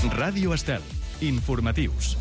Ràdio Estel. Informatius.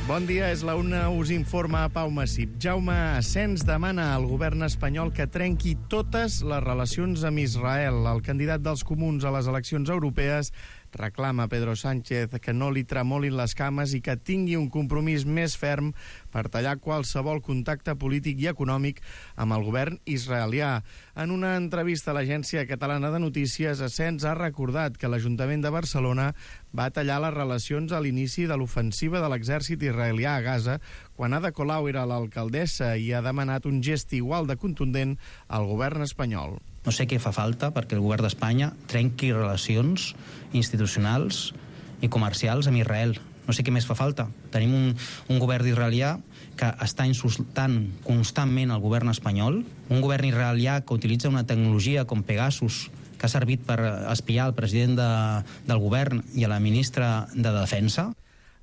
Bon dia, és la una, us informa Pau Massip. Jaume Asens demana al govern espanyol que trenqui totes les relacions amb Israel. El candidat dels comuns a les eleccions europees reclama a Pedro Sánchez que no li tremolin les cames i que tingui un compromís més ferm per tallar qualsevol contacte polític i econòmic amb el govern israelià. En una entrevista a l'Agència Catalana de Notícies, Asens ha recordat que l'Ajuntament de Barcelona va tallar les relacions a l'inici de l'ofensiva de l'exèrcit israelià a Gaza, quan Ada Colau era l'alcaldessa, i ha demanat un gest igual de contundent al govern espanyol. No sé què fa falta perquè el govern d'Espanya trenqui relacions institucionals i comercials amb Israel. No sé què més fa falta. Tenim un govern israelià que està insultant constantment el govern espanyol, un govern israelià que utilitza una tecnologia com Pegasus, que ha servit per espiar el president del govern i a la ministra de Defensa.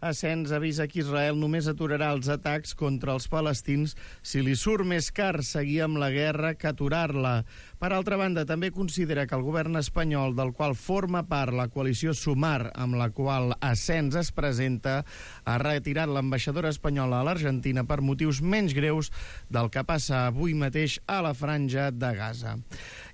Asens avisa que Israel només aturarà els atacs contra els palestins si li surt més car seguir amb la guerra que aturar-la. Per altra banda, també considera que el govern espanyol, del qual forma part la coalició Sumar, amb la qual Asens es presenta, ha retirat l'ambaixadora espanyola a l'Argentina per motius menys greus del que passa avui mateix a la franja de Gaza.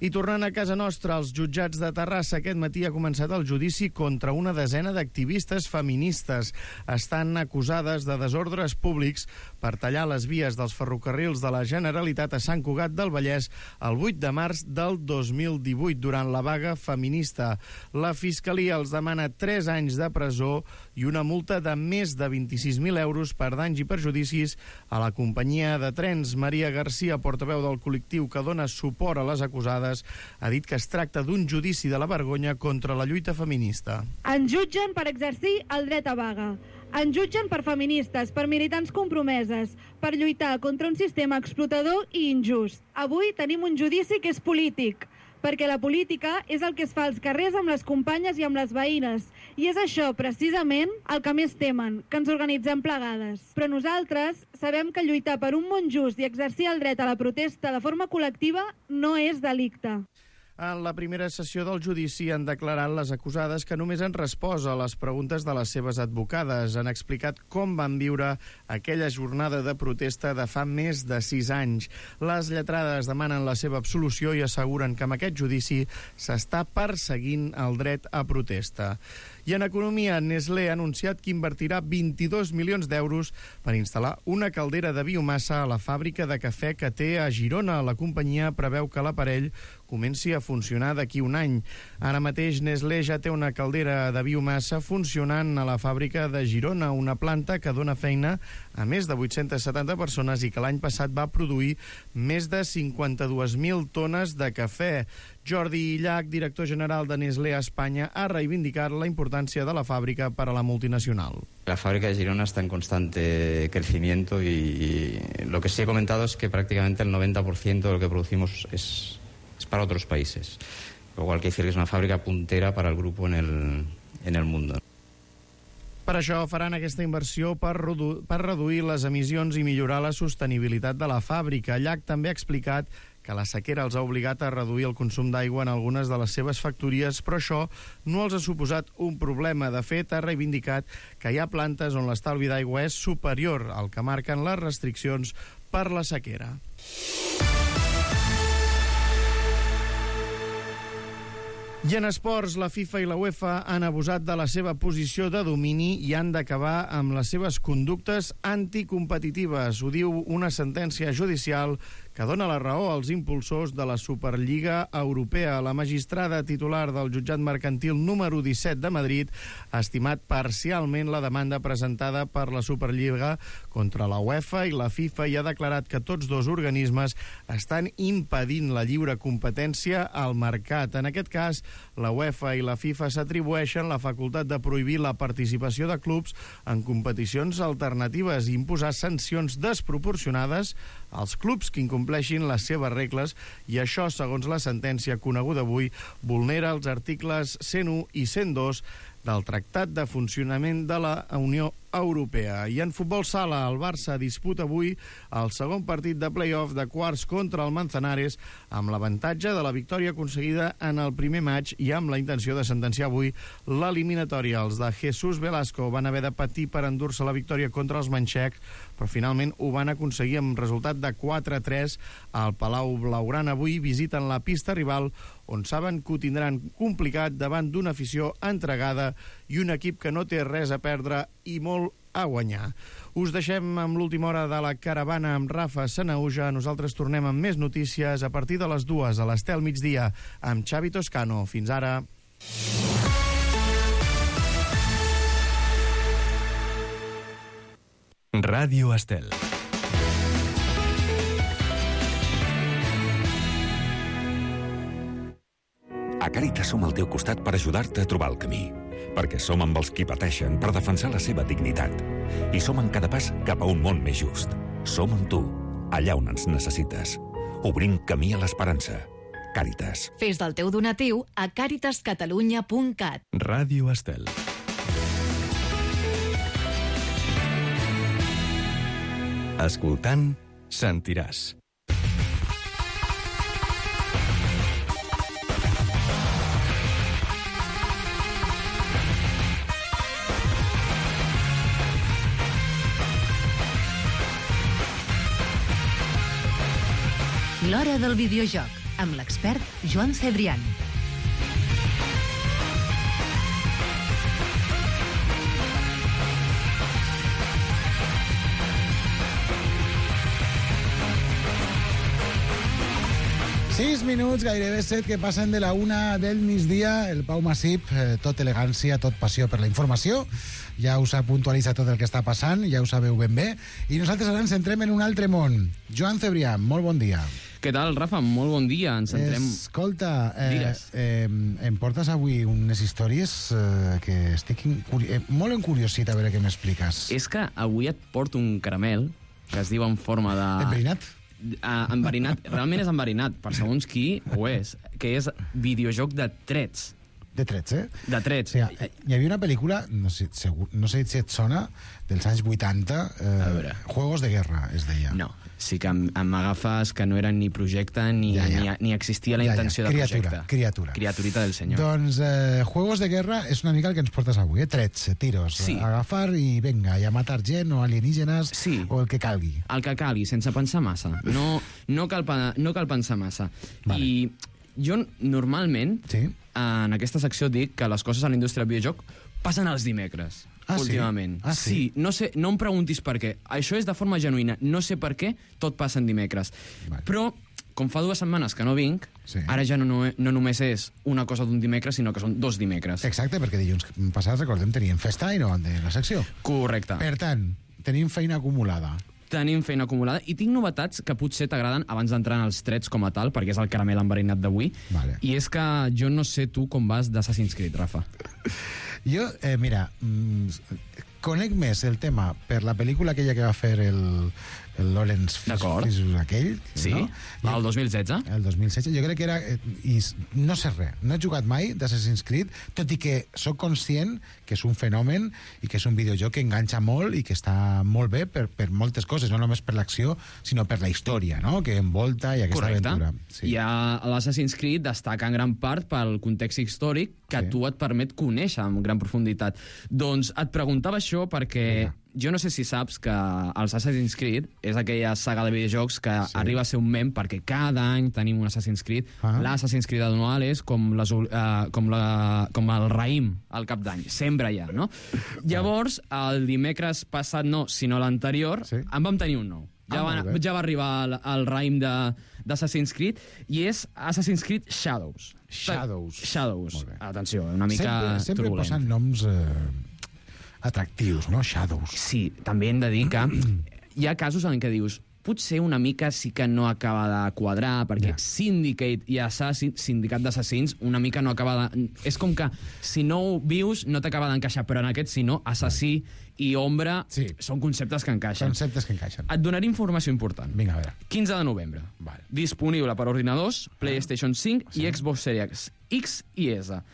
I tornant a casa nostra, els jutjats de Terrassa aquest matí ha començat el judici contra una desena d'activistes feministes. Estan acusades de desordres públics per tallar les vies dels ferrocarrils de la Generalitat a Sant Cugat del Vallès el 8 de març del 2018, durant la vaga feminista. La Fiscalia els demana 3 anys de presó i una multa de més de 26.000 euros per danys i perjudicis a la companyia de trens. Maria Garcia, portaveu del col·lectiu que dona suport a les acusades, ha dit que es tracta d'un judici de la vergonya contra la lluita feminista. Ens jutgen per exercir el dret a vaga. Ens jutgen per feministes, per militants compromeses, per lluitar contra un sistema explotador i injust. Avui tenim un judici que és polític, perquè la política és el que es fa als carrers amb les companyes i amb les veïnes. I és això, precisament, el que més temen, que ens organitzem plegades. Però nosaltres sabem que lluitar per un món just i exercir el dret a la protesta de forma col·lectiva no és delicte. En la primera sessió del judici han declarat les acusades que només han respost a les preguntes de les seves advocades. Han explicat com van viure aquella jornada de protesta de fa més de 6 anys. Les lletrades demanen la seva absolució i asseguren que amb aquest judici s'està perseguint el dret a protesta. I en economia, Nestlé ha anunciat que invertirà 22 milions d'euros per instal·lar una caldera de biomassa a la fàbrica de cafè que té a Girona. La companyia preveu que l'aparell comenci a funcionar d'aquí un any. Ara mateix Nestlé ja té una caldera de biomassa funcionant a la fàbrica de Girona, una planta que dona feina a més de 870 persones i que l'any passat va produir més de 52.000 tones de cafè. Jordi Llach, director general de Nestlé a Espanya, ha reivindicat la importància de la fàbrica per a la multinacional. La fábrica de Girona está en constante crecimiento y lo que sí he comentado es que prácticamente el 90% de lo que producimos es para otros países. Lo cual quiere decir que es una fábrica puntera para el grupo en el mundo. Per això faran aquesta inversió per reduir les emissions i millorar la sostenibilitat de la fàbrica. Llach també ha explicat que la sequera els ha obligat a reduir el consum d'aigua en algunes de les seves factories, però això no els ha suposat un problema. De fet, ha reivindicat que hi ha plantes on l'estalvi d'aigua és superior al que marquen les restriccions per la sequera. I en esports, la FIFA i la UEFA han abusat de la seva posició de domini i han d'acabar amb les seves conductes anticompetitives. Ho diu una sentència judicial que dona la raó als impulsors de la Superliga Europea. La magistrada titular del jutjat mercantil número 17 de Madrid ha estimat parcialment la demanda presentada per la Superliga contra la UEFA i la FIFA i ha declarat que tots dos organismes estan impedint la lliure competència al mercat. En aquest cas, la UEFA i la FIFA s'atribueixen la facultat de prohibir la participació de clubs en competicions alternatives i imposar sancions desproporcionades als clubs que incompleixin les seves regles, i això, segons la sentència coneguda avui, vulnera els articles 101 i 102 del Tractat de Funcionament de la Unió Europea. I en futbol sala, el Barça disputa avui el segon partit de play-off de quarts contra el Manzanares amb l'avantatge de la victòria aconseguida en el primer match i amb la intenció de sentenciar avui l'eliminatòria. Els de Jesús Velasco van haver de patir per endur-se la victòria contra els manxecs, però finalment ho van aconseguir amb resultat de 4-3 al Palau Blaugrana. Avui visiten la pista rival, on saben que ho tindran complicat davant d'una afició entregada i un equip que no té res a perdre i molt a guanyar. Us deixem amb l'última hora de la caravana amb Rafa Sanauja. Nosaltres tornem amb més notícies a partir de les 2 a l'Estel migdia amb Xavi Toscano. Fins ara. Ràdio Estel. A Càritas som al teu costat per ajudar-te a trobar el camí. Perquè som amb els qui pateixen per defensar la seva dignitat. I som en cada pas cap a un món més just. Som amb tu, allà on ens necessites. Obrim camí a l'esperança. Càritas. Fes del teu donatiu a caritascatalunya.cat. Ràdio Estel. Escoltant, sentiràs. L'hora del videojoc, amb l'expert Joan Cebrián. Sis minuts, gairebé 7, que passen de la 1 del migdia. El Pau Massip, tot elegància, tot passió per la informació. Ja us ha puntualitzat tot el que està passant, ja ho sabeu ben bé. I nosaltres ara ens centrem en un altre món. Joan Cebrián, molt bon dia. Què tal, Rafa? Molt bon dia. Ens centrem... Escolta, em portes avui unes històries que estic molt encuriosit a veure què m'expliques. És que avui et porto un caramel que es diu en forma de... Enverinat? Enverinat. Realment és enverinat, per segons qui ho és, que és videojoc de trets. De trets, eh? De trets. O sigui, hi havia una pel·lícula, no sé si et sona, dels anys 80, Juegos de Guerra, es deia. No, sí que m'agafes que no era ni projecte ni existia la intenció de projecte. Criaturita del senyor. Doncs Juegos de Guerra és una mica el que ens portes avui, trets, tiros, sí. Agafar i venga, i a matar gent o alienígenes, sí. O el que calgui. El que calgui, sense pensar massa. No cal pensar massa. Vale. I jo normalment... Sí. En aquesta secció dic que les coses a la indústria del videojoc passen els dimecres, últimament. Sí? Sí. No sé, no em preguntis per què. Això és de forma genuïna. No sé per què tot passa en dimecres. Vale. Però, com fa 2 setmanes que no vinc, sí. Ara ja no només és una cosa d'un dimecres, sinó que són 2 dimecres. Exacte, perquè dilluns passat, recordem, teníem festa i no van tenir la secció. Correcte. Per tant, tenim feina acumulada. Tenim feina acumulada i tinc novetats que potser t'agraden abans d'entrar en els trets com a tal, perquè és el caramel enverinat d'avui. Vale. I és que jo no sé tu com vas d'Assassin's Creed, Rafa. Jo, mira, conec més el tema per la pel·lícula aquella que va fer el Lawrence Fishburne aquell. Sí, no? El 2016. El 2016. Jo crec que era... I no sé res. No he jugat mai d'Assassin's Creed, tot i que sóc conscient que és un fenomen i que és un videojoc que enganxa molt i que està molt bé per moltes coses, no només per l'acció, sinó per la història, no?, que envolta i aquesta aventura. Sí. I l'Assassin's Creed destaca en gran part pel context històric que tu et permet conèixer amb gran profunditat. Doncs et preguntava això perquè... Jo no sé si saps que els Assassin's Creed és aquella saga de videojocs que arriba a ser un mem perquè cada any tenim un Assassin's Creed. L'Assassin's Creed anual és com el raïm al cap d'any. Sempre hi ha, no? Llavors, el dimecres passat no, sinó l'anterior, en vam tenir un nou. Ja va arribar el raïm d'Assassin's Creed i és Assassin's Creed Shadows. Shadows. Atenció, una mica sempre turbulent. Posen noms... atractius, no? Shadows. Sí, també hem de dir que hi ha casos en què dius potser una mica sí que no acaba de quadrar, perquè Syndicate i Sindicat d'Assassins una mica no acaba de... És com que si no ho vius no t'acaba d'encaixar, però en aquest si no, assassí i ombra són conceptes que encaixen. Et donaré informació important. Vinga, a veure. 15 de novembre. Disponible per ordinadors, PlayStation 5 i Xbox Series X i S.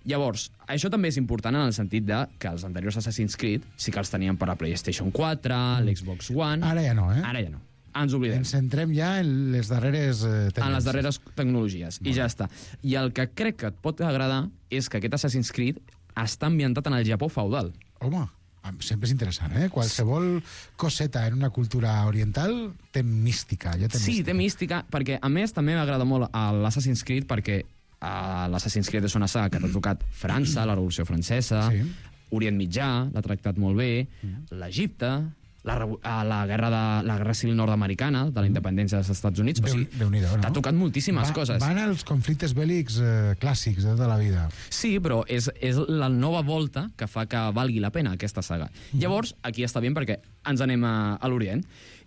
Llavors, això també és important en el sentit de que els anteriors Assassin's Creed sí que els teníem per la PlayStation 4, l'Xbox One... Ara ja no, Ara ja no. Ens oblidem. Ens centrem ja en les darreres tecnologies. En les darreres tecnologies, i ja està. I el que crec que et pot agradar és que aquest Assassin's Creed està ambientat en el Japó feudal. Home, sempre és interessant, eh? Qualsevol coseta en una cultura oriental té mística. Sí, té mística, perquè a més també m'agrada molt l'Assassin's Creed perquè l'Assassin's Creed és una saga que t'ha tocat França, la Revolució Francesa, Orient Mitjà, l'ha tractat molt bé, l'Egipte, la guerra civil nord-americana, de la independència dels Estats Units. O sigui, t'ha tocat moltíssimes coses. Van als conflictes bèl·lics clàssics de la vida. Sí, però és la nova volta que fa que valgui la pena aquesta saga. Llavors, aquí està bé perquè ens anem a l'Orient.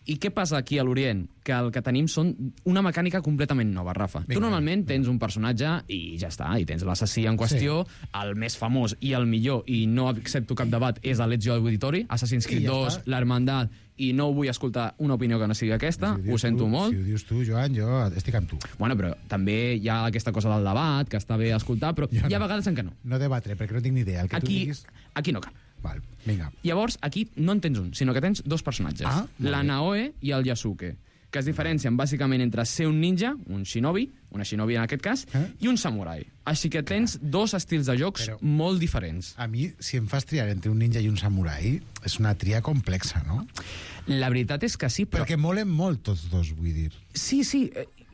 I què passa aquí a l'Orient? Que el que tenim són una mecànica completament nova, Rafa. Tu normalment tens un personatge i ja està, i tens l'assassí en qüestió, el més famós i el millor, i no accepto cap debat, és l'Ezio Auditore, Assassin's Creed 2, l'Hermandad, i no vull escoltar una opinió que no sigui aquesta, ho sento molt. Si ho dius tu, Joan, jo estic amb tu. Bueno, però també hi ha aquesta cosa del debat, que està bé escoltar, però hi ha vegades en què no. No debatre, perquè no tinc ni idea. Aquí no cal. Val, vinga. Llavors, aquí no en tens un, sinó que tens dos personatges. La Naoe i el Yasuke, que es diferencien bàsicament entre ser un ninja, un shinobi, una shinobi en aquest cas, i un samurai. Així que tens dos estils de jocs molt diferents. A mi, si em fas triar entre un ninja i un samurai, és una tria complexa, no? La veritat és que sí, però... Perquè molen molt tots dos, vull dir. Sí.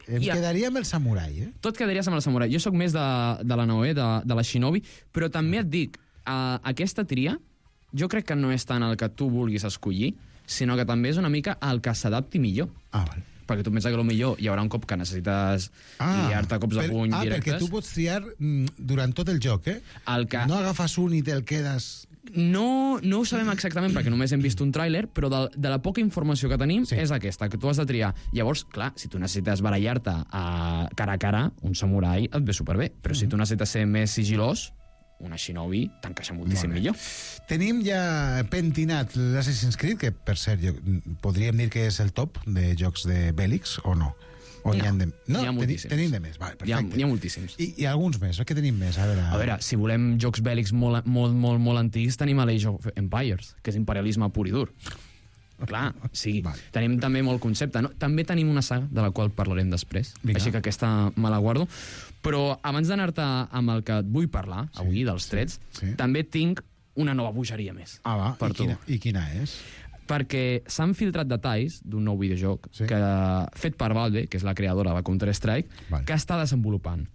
Em quedaria amb el samurai, eh? Tu et quedaries amb el samurai. Jo sóc més de la Naoe, de la shinobi, però també et dic, aquesta tria jo crec que no és tant el que tu vulguis escollir, sinó que també és una mica el que s'adapti millor. Val. Perquè tu penses que millor hi haurà un cop que necessites liar-te cops de puny directes. Perquè tu pots triar durant tot el joc, eh? No agafes un i te'l quedes... No ho sabem exactament perquè només hem vist un tràiler, però de la poca informació que tenim és aquesta, que tu has de triar. Llavors, clar, si tu necessites barallar-te cara a cara, un samurai et ve superbé, però si tu necessites ser més sigilós, una shinobi t'encaixa moltíssim millor. Tenim ja pentinat l'Assassin's Creed, que per cert podríem dir que és el top de jocs de bèl·lics, o no? N'hi ha moltíssims. Tenim de més, vale, perfecte. Hi ha moltíssims. I alguns més, què tenim més? A veure, si volem jocs bèl·lics molt antics, tenim l'Age of Empires, que és imperialisme pur i dur. Clar, sí. Tenim també molt concepte. També tenim una saga de la qual parlarem després, així que aquesta me la guardo. Però abans d'anar-te amb el que et vull parlar avui, dels trets, també tinc una nova bogeria més per tu. I quina és? Perquè s'han filtrat detalls d'un nou videojoc fet per Valve, que és la creadora de Counter-Strike, que està desenvolupant.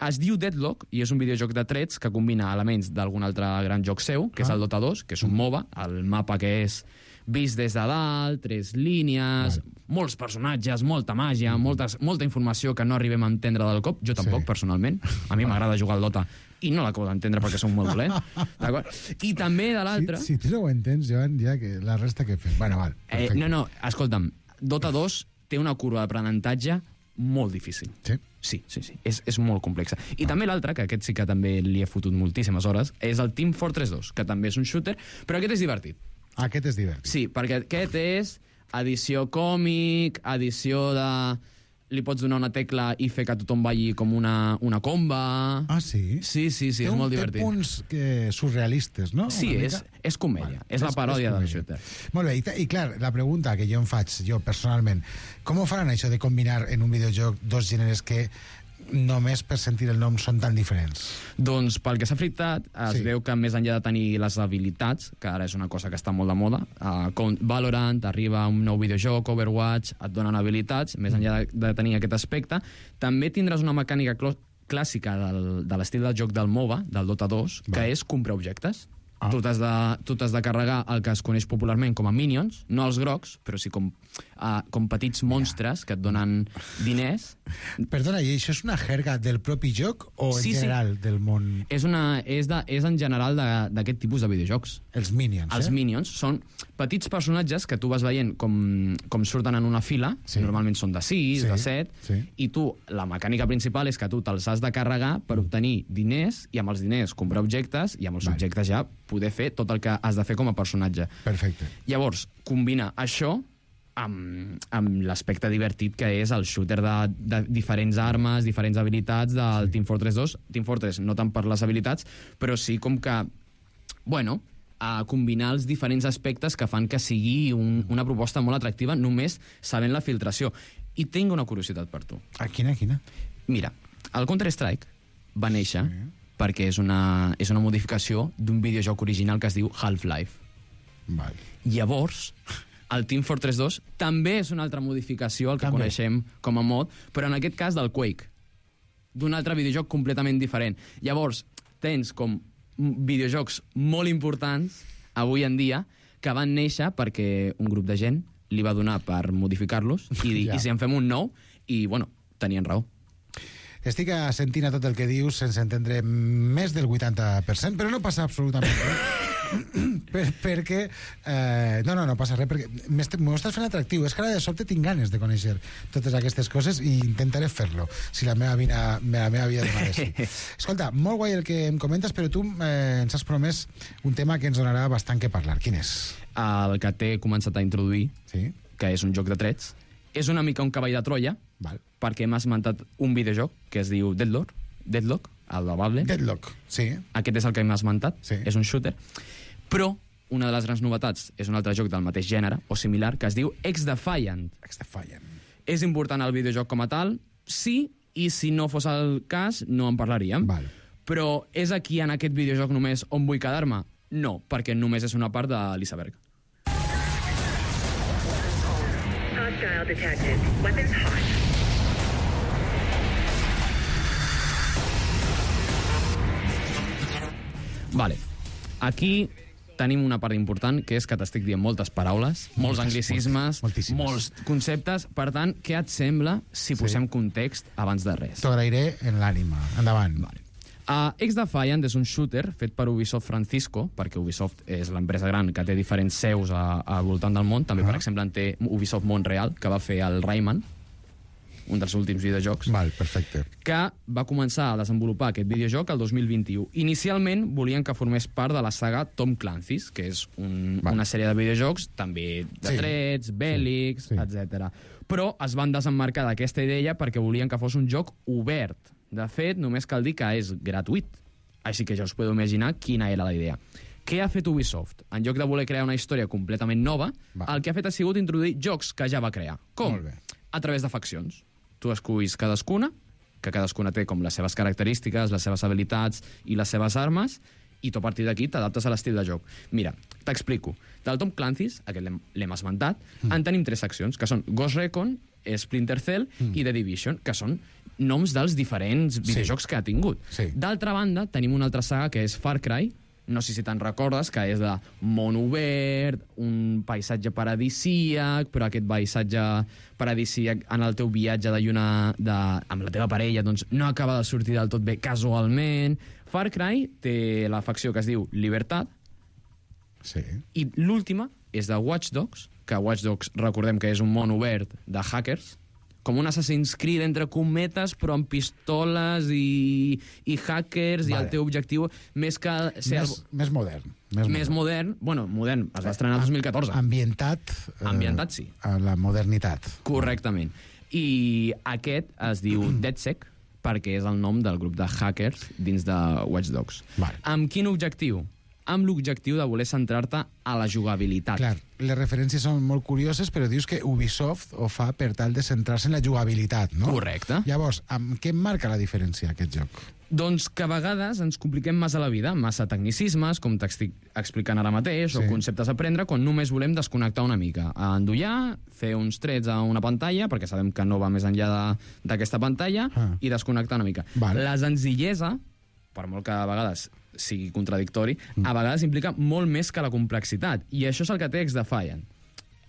Es diu Deadlock i és un videojoc de trets que combina elements d'algun altre gran joc seu, que és el Dota 2, que és un MOBA, el mapa que és vist des de dalt, 3 línies, molts personatges, molta màgia, molta informació que no arribem a entendre del cop. Jo tampoc, personalment. A mi m'agrada jugar al Dota i no l'acabo d'entendre perquè som molt dolent. I també de l'altre... Si tu no ho entens, Joan, ja que la resta que fem. Bueno, val, perfecte. No, escolta'm, Dota 2 té una curva d'aprenentatge molt difícil. Sí? Sí. És molt complexa. I també l'altre, que aquest sí que també li he fotut moltíssimes hores, és el Team Fortress 2, que també és un shooter, però aquest és divertit. Aquest és divertit. Sí, perquè aquest és edició còmic, edició de... Li pots donar una tecla i fer que tothom balli com una comba... Sí? Sí, és molt divertit. Té punts surrealistes, no? Sí, és comèdia. És la paròdia del shooter. Molt bé, i clar, la pregunta que jo em faig, jo personalment, com ho faran això de combinar en un videojoc dos gèneres que només per sentir el nom són tan diferents? Doncs pel que s'ha fritat, es veu que més enllà de tenir les habilitats, que ara és una cosa que està molt de moda, com Valorant, arriba un nou videojoc, Overwatch, et donen habilitats, més enllà de tenir aquest aspecte, també tindràs una mecànica clàssica de l'estil del joc del MOBA, del Dota 2, que és comprar objectes. Tu t'has de carregar el que es coneix popularment com a minions, no els grocs, però sí com petits monstres que et donen diners. Perdona, i això és una jerga del propi joc o en general del món? És en general d'aquest tipus de videojocs. Els minions, Els minions són petits personatges que tu vas veient com surten en una fila, normalment són de 6, de 7, i tu, la mecànica principal és que tu te'ls has de carregar per obtenir diners, i amb els diners comprar objectes, i amb els objectes ja poder fer tot el que has de fer com a personatge. Perfecte. Llavors, combina això amb l'aspecte divertit que és el shooter de diferents armes, diferents habilitats del Team Fortress 2. Team Fortress no tant per les habilitats, però sí com que, bueno, a combinar els diferents aspectes que fan que sigui una proposta molt atractiva només sabent la filtració. I tinc una curiositat per tu. Quina? Mira, el Counter-Strike va néixer perquè és una modificació d'un videojoc original que es diu Half-Life. Val. Llavors, el Team Fortress 2 també és una altra modificació, el que coneixem com a mod, però en aquest cas del Quake, d'un altre videojoc completament diferent. Llavors, tens com videojocs molt importants avui en dia que van néixer perquè un grup de gent li va donar per modificar-los i dir, i si en fem un nou? I, bueno, tenien raó. Estic sentint tot el que dius sense entendre més del 80%, però no passa absolutament res. perquè no passa res, perquè m'ho estàs fent atractiu. És que ara de sobte tinc ganes de conèixer totes aquestes coses i intentaré fer-lo si la meva vida demana sí. Escolta, molt guai el que em comentes, però tu ens has promès un tema que ens donarà bastant que parlar. Quin és? El que t'he començat a introduir, sí? Que és un joc de trets. És una mica un cavall de Troia, perquè m'ha esmentat un videojoc que es diu Deadlock, el de Valve. Deadlock, sí. Aquest és el que m'ha esmentat, sí. És un shooter. Però una de les grans novetats és un altre joc del mateix gènere, o similar, que es diu X-Defiant. És important el videojoc com a tal, sí, i si no fos el cas, no en parlaríem. Val. Però és aquí, en aquest videojoc, només on vull quedar-me? No, perquè només és una part de l'iceberg. Hostile detected. Weapons hot. Vale. Aquí tenim una part important, que és que t'estic dient moltes paraules, molts anglicismes, molts conceptes. Per tant, què et sembla si posem context abans de res? T'ho agrairé en l'ànima. Endavant. Vale. X-Defiant és un shooter fet per Ubisoft Francisco, perquè Ubisoft és l'empresa gran que té diferents seus al voltant del món. També, per exemple, en té Ubisoft Montreal, que va fer el Rayman, un dels últims videojocs. Val, perfecte. Que va començar a desenvolupar aquest videojoc el 2021. Inicialment volien que formés part de la saga Tom Clancy's, que és una sèrie de videojocs, també de trets, bèl·lics, etc. Però es van desemmarcar d'aquesta idea perquè volien que fos un joc obert. De fet, només cal dir que és gratuït. Així que ja us podeu imaginar quina era la idea. Què ha fet Ubisoft? En lloc de voler crear una història completament nova, el que ha fet ha sigut introduir jocs que ja va crear. Com? A través de faccions. Tu esculls cadascuna, que cadascuna té com les seves característiques, les seves habilitats i les seves armes, i tu a partir d'aquí t'adaptes a l'estil de joc. Mira, t'explico. Del Tom Clancy's, aquest l'hem esmentat, en tenim 3 seccions, que són Ghost Recon, Splinter Cell i The Division, que són noms dels diferents videojocs que ha tingut. D'altra banda, tenim una altra saga que és Far Cry, no sé si te'n recordes, que és de món obert, un paisatge paradisíac, però aquest paisatge paradisíac en el teu viatge amb la teva parella doncs no acaba de sortir del tot bé casualment. Far Cry té la facció que es diu Libertad, i l'última és de Watch Dogs, que Watch Dogs recordem que és un món obert de hackers, com un Assassin's Creed entre cometes, però amb pistoles i hackers, i el teu objectiu més que ser... Més modern. Més modern. Bueno, modern. Es va estrenar el 2014. Ambientat, sí. A la modernitat. Correctament. I aquest es diu DedSec, perquè és el nom del grup de hackers dins de Watch Dogs. Amb quin objectiu? Amb l'objectiu de voler centrar-te a la jugabilitat. Clar, les referències són molt curioses, però dius que Ubisoft ho fa per tal de centrar-se en la jugabilitat, no? Correcte. Llavors, amb què marca la diferència, aquest joc? Doncs que a vegades ens compliquem massa la vida, massa tecnicismes, com t'estic explicant ara mateix, o conceptes a aprendre, quan només volem desconnectar una mica. Endollar, fer uns trets a una pantalla, perquè sabem que no va més enllà d'aquesta pantalla, i desconnectar una mica. La senzillesa, per molt que a vegades sigui contradictori, a vegades implica molt més que la complexitat, i això és el que té X-Defiant.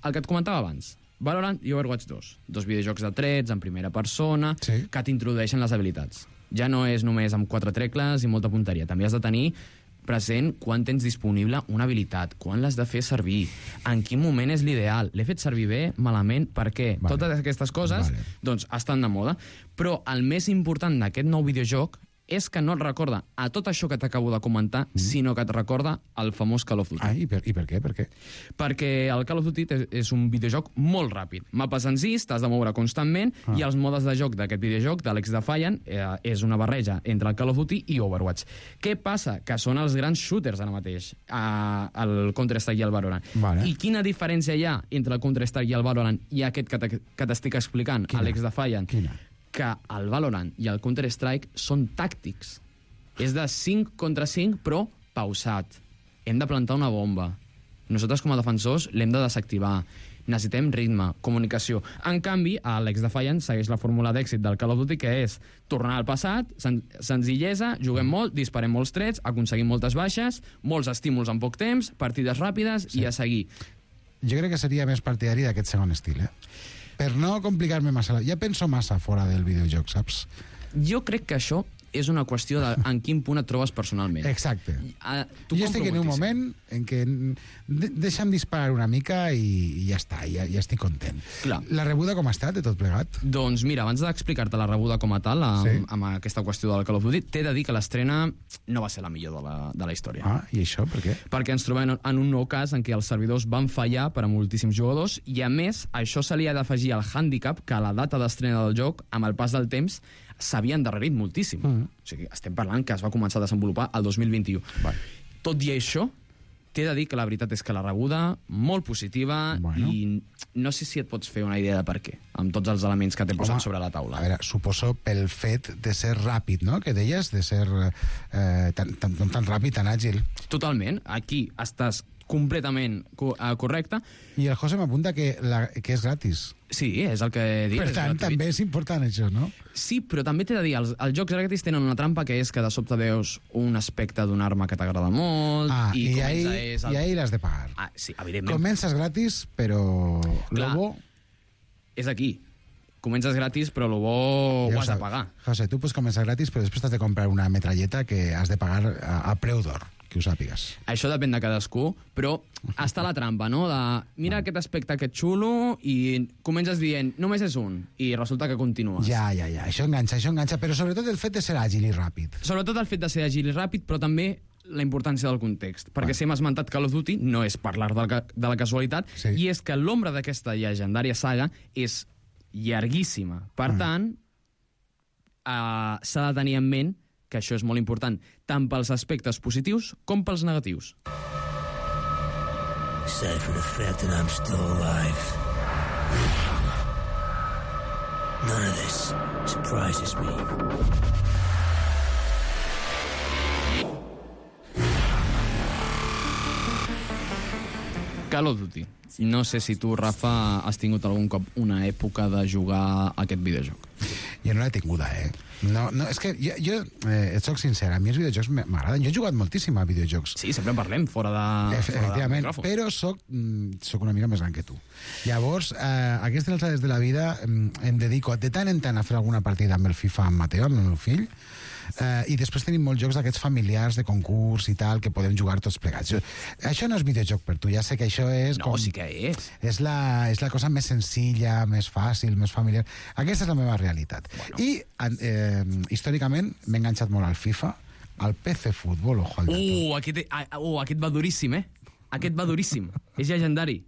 El que et comentava abans, Valorant i Overwatch 2, 2 videojocs de trets en primera persona, que t'introdueixen les habilitats. Ja no és només amb 4 tecles i molta punteria, també has de tenir present quan tens disponible una habilitat, quan l'has de fer servir, en quin moment és l'ideal, l'he fet servir bé, malament, per què? Totes aquestes coses doncs estan de moda, però el més important d'aquest nou videojoc és que no et recorda a tot això que t'acabo de comentar, sinó que et recorda el famós Call of Duty. I per què? Per què? Perquè el Call of Duty és un videojoc molt ràpid. Mapes senzills, t'has de moure constantment, i els modes de joc d'aquest videojoc, d'Alex Defiant, és una barreja entre el Call of Duty i Overwatch. Què passa? Que són els grans shooters ara mateix, el Counter-Strike i el Valorant. Vale. I quina diferència hi ha entre el Counter-Strike i el Valorant i aquest que t'estic explicant, Alex Defiant? Quina? Que el Valorant i el Counter-Strike són tàctics. És de 5 contra 5, però pausat. Hem de plantar una bomba. Nosaltres, com a defensors, l'hem de desactivar. Necessitem ritme, comunicació. En canvi, Alex Defiant segueix la fórmula d'èxit del Call of Duty, que és tornar al passat, senzillesa, juguem molt, disparem molts trets, aconseguim moltes baixes, molts estímuls en poc temps, partides ràpides i a seguir. Jo crec que seria més partidari d'aquest segon estil, per no complicar-me massa. Ja penso massa fora del videojoc, saps? Jo crec que això és una qüestió de en quin punt et trobes personalment. Exacte. Jo estic en un moment en què deixa'm disparar una mica i ja està, ja estic content. Clar. La rebuda com ha estat de tot plegat? Doncs mira, abans d'explicar-te la rebuda com a tal, amb aquesta qüestió del Call of Duty, t'he de dir que l'estrena no va ser la millor de la història. I això per què? Perquè ens trobem en un nou cas en què els servidors van fallar per a moltíssims jugadors i, a més, això se li ha d'afegir al hàndicap que a la data d'estrena del joc, amb el pas del temps, s'havia endarrerit moltíssim. O sigui, estem parlant que es va començar a desenvolupar el 2021. Tot i això, t'he de dir que la veritat és que la rebuda, molt positiva, i no sé si et pots fer una idea de per què, amb tots els elements que t'he posat sobre la taula. A veure, suposo pel fet de ser ràpid, no?, que deies, de ser tan ràpid, tan àgil. Totalment. Aquí estàs completament correcte. I el José m'apunta que és gratis. Sí, és el que dic. Per tant, també és important això, no? Sí, però també t'he de dir, els jocs gratis tenen una trampa que és que de sobte veus un aspecte d'una arma que t'agrada molt i ahí l'has de pagar. Sí, evidentment. Comences gratis, però Clar, lo bo... és aquí. Comences gratis, però lo bo ho has de pagar. José, tu pots començar gratis, però després t'has de comprar una metralleta que has de pagar a preu d'or, que ho sàpigues. Això depèn de cadascú, però està la trampa, no? De, mira aquest aspecte, aquest xulo, i comences dient, només és un, i resulta que continues. Ja. Això enganxa, però sobretot el fet de ser àgil i ràpid. Sobretot el fet de ser àgil i ràpid, però també la importància del context. Perquè si hem esmentat Call of Duty, no és parlar de la casualitat, i és que l'ombra d'aquesta llegendària saga és llarguíssima. Per tant, s'ha de tenir en ment que això és molt important, tant pels aspectes positius com pels negatius. Aside from the fact that I'm still alive, none of this surprises me. Call of Duty. No sé si tu, Rafa, has tingut algun cop una època de jugar a aquest videojoc. Jo no l'he tinguda, No, és que jo et soc sincer, a mi els videojocs m'agraden. Jo he jugat moltíssim a videojocs. Sí, sempre en parlem, fora de... Efectivament, però soc una mica més gran que tu. Llavors, a aquestes alçades de la vida em dedico de tant en tant a fer alguna partida amb el FIFA amb Mateo, amb el meu fill, i després tenim molts jocs d'aquests familiars de concurs i tal, que podem jugar tots plegats. Això no és videojoc per tu, ja sé que això és... No, sí que és. És la cosa més senzilla, més fàcil, més familiar. Aquesta és la meva realitat. I històricament m'he enganxat molt al FIFA, al PC Futbol, ojo al dato. Aquest va duríssim, Aquest va duríssim. És llegendari.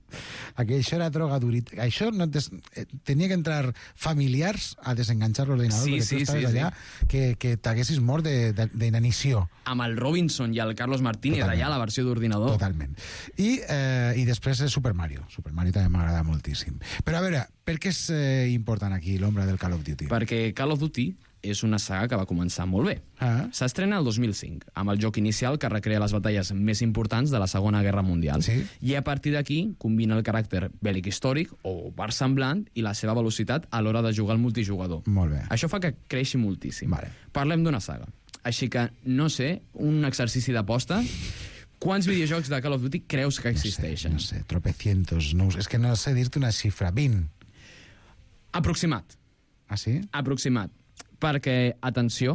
Això era droga duríssima. Això no tenia que entrar familiars a desenganxar l'ordinador, perquè tu estaves allà que t'haguessis mort d'inanició. Amb el Robinson i el Carlos Martínez allà, la versió d'ordinador. Totalment. I després Super Mario. Super Mario també m'agrada moltíssim. Però a veure, per què és important aquí l'ombra del Call of Duty? Perquè Call of Duty és una saga que va començar molt bé. S'estrena el 2005, amb el joc inicial que recrea les batalles més importants de la Segona Guerra Mundial. I a partir d'aquí combina el caràcter bèl·lic històric o versemblant i la seva velocitat a l'hora de jugar al multijugador. Molt bé. Això fa que creixi moltíssim. Parlem d'una saga. Així que, no sé, un exercici d'aposta... Quants videojocs de Call of Duty creus que existeixen? No sé, tropecientos. És que no sé dir-te una xifra. 20. Aproximat. Ah, sí? Aproximat. Perquè, atenció,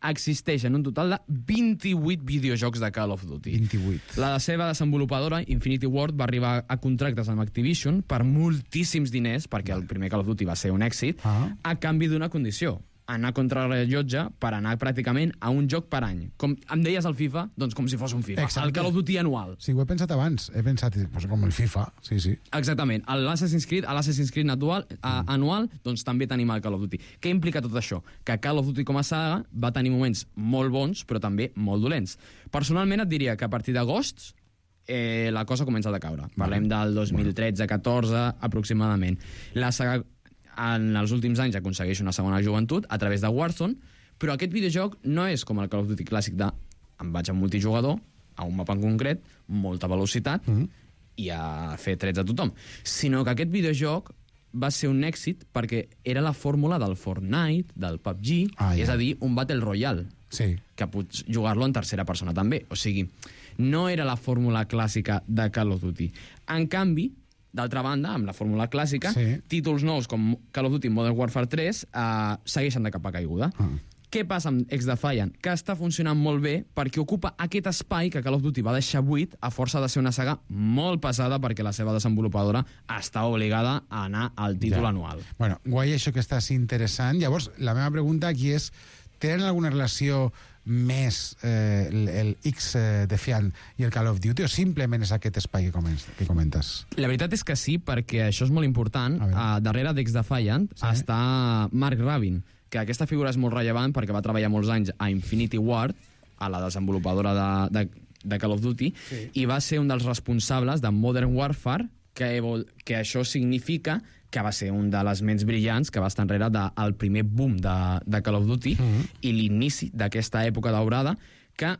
existeixen un total de 28 videojocs de Call of Duty. 28. La seva desenvolupadora, Infinity Ward, va arribar a contractes amb Activision per moltíssims diners, perquè el primer Call of Duty va ser un èxit, a canvi d'una condició. anar contra el rellotge per anar pràcticament a un joc per any. Com em deies el FIFA, doncs com si fos un FIFA. Exacte. El Call of Duty anual. Sí, ho he pensat abans. He pensat, pues, com el FIFA, sí. Exactament. L'Assassin's Creed anual, doncs també tenim el Call of Duty. Què implica tot això? Que Call of Duty com a saga va tenir moments molt bons, però també molt dolents. Personalment et diria que a partir d'agost la cosa comença a decaure. Parlem del 2013-14 aproximadament. La saga en els últims anys aconsegueix una segona joventut a través de Warzone, però aquest videojoc no és com el Call of Duty clàssic de em vaig a multijugador, a un mapa en concret, molta velocitat i a fer trets a tothom, sinó que aquest videojoc va ser un èxit perquè era la fórmula del Fortnite, del PUBG, és a dir, un Battle Royale, que pots jugar-lo en tercera persona també. O sigui, no era la fórmula clàssica de Call of Duty. En canvi, d'altra banda, amb la fórmula clàssica, títols nous com Call of Duty Modern Warfare 3 segueixen de capa caiguda. Què passa amb Ex-Defiant? Que està funcionant molt bé perquè ocupa aquest espai que Call of Duty va deixar buit a força de ser una saga molt pesada perquè la seva desenvolupadora està obligada a anar al títol anual. Bueno, guai això que estàs interessant. Llavors, la meva pregunta aquí és, tenen alguna relació més el X-Defiant i el Call of Duty o simplement és aquest espai que comentes? La veritat és que sí, perquè això és molt important. Darrere d'X-Defiant està Mark Rabin, que aquesta figura és molt rellevant perquè va treballar molts anys a Infinity Ward, a la desenvolupadora de Call of Duty, i va ser un dels responsables de Modern Warfare, que això significa que va ser un de les ments brillants que va estar enrere del primer boom de Call of Duty i l'inici d'aquesta època daurada, que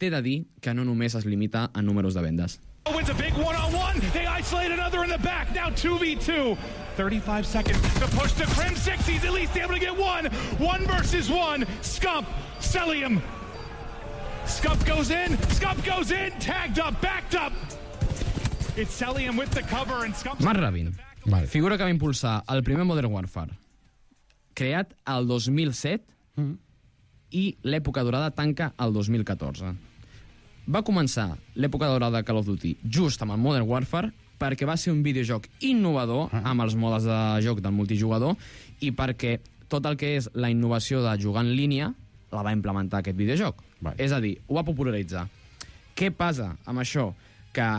t'he de dir que no només es limita a números de vendes. Wins a big one-on-one. They isolate another in the back. Now 2v2. 35 seconds to push to Crim 6. He's at least able to get one. 1 versus 1. Scump. Celium. Scump goes in. Scump goes in. Tagged up. Backed up. It's Celium with the cover and Scump... Mark Rabin. Figura que va impulsar el primer Modern Warfare, creat el 2007 i l'època dorada tanca el 2014. Va començar l'època dorada de Call of Duty just amb el Modern Warfare perquè va ser un videojoc innovador amb els modes de joc del multijugador i perquè tot el que és la innovació de jugar en línia la va implementar aquest videojoc. És a dir, ho va popularitzar. Què passa amb això? Que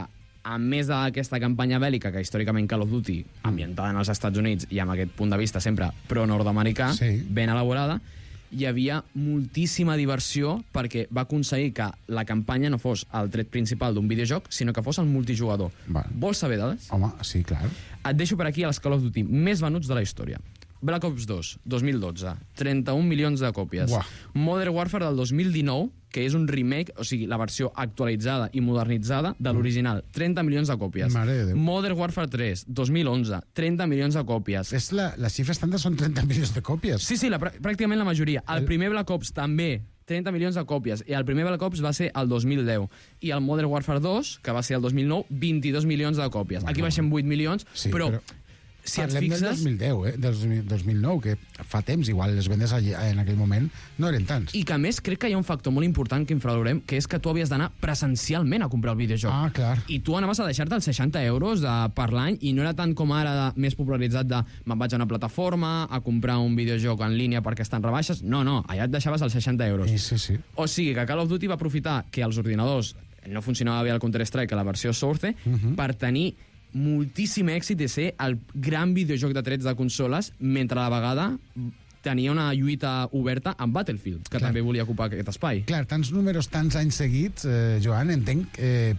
a més d'aquesta campanya bèl·lica que històricament Call of Duty, ambientada en els Estats Units i amb aquest punt de vista sempre pro-nord-americà, ben elaborada, hi havia moltíssima diversió perquè va aconseguir que la campanya no fos el tret principal d'un videojoc, sinó que fos el multijugador. Vols saber dades? Home, sí, clar. Et deixo per aquí els Call of Duty més venuts de la història. Black Ops 2, 2012, 31 milions de còpies. Modern Warfare del 2019, que és un remake, o sigui, la versió actualitzada i modernitzada de l'original, 30 milions de còpies. Modern Warfare 3, 2011, 30 milions de còpies. Les xifres estàndards són 30 milions de còpies. Sí, pràcticament la majoria. El primer Black Ops també, 30 milions de còpies, i el primer Black Ops va ser el 2010. I el Modern Warfare 2, que va ser el 2009, 22 milions de còpies. Aquí baixem 8 milions, però si et parlem fixes... del 2010, del 2009, que fa temps, igual les vendes en aquell moment no eren tants. I que a més crec que hi ha un factor molt important que infravalorem, que és que tu havies d'anar presencialment a comprar el videojoc. Clar. I tu anaves a deixar-te els 60 euros per l'any i no era tant com ara més popularitzat de me'n vaig a una plataforma a comprar un videojoc en línia perquè estan rebaixes. No, allà et deixaves els 60 euros. Sí. O sigui que Call of Duty va aprofitar que els ordinadors no funcionava bé el Counter-Strike, que la versió Source, per tenir moltíssim èxit de ser el gran videojoc de trets de consoles, mentre a la vegada tenia una lluita oberta amb Battlefield, que també volia ocupar aquest espai. Clar, tants números, tants anys seguits, Joan, entenc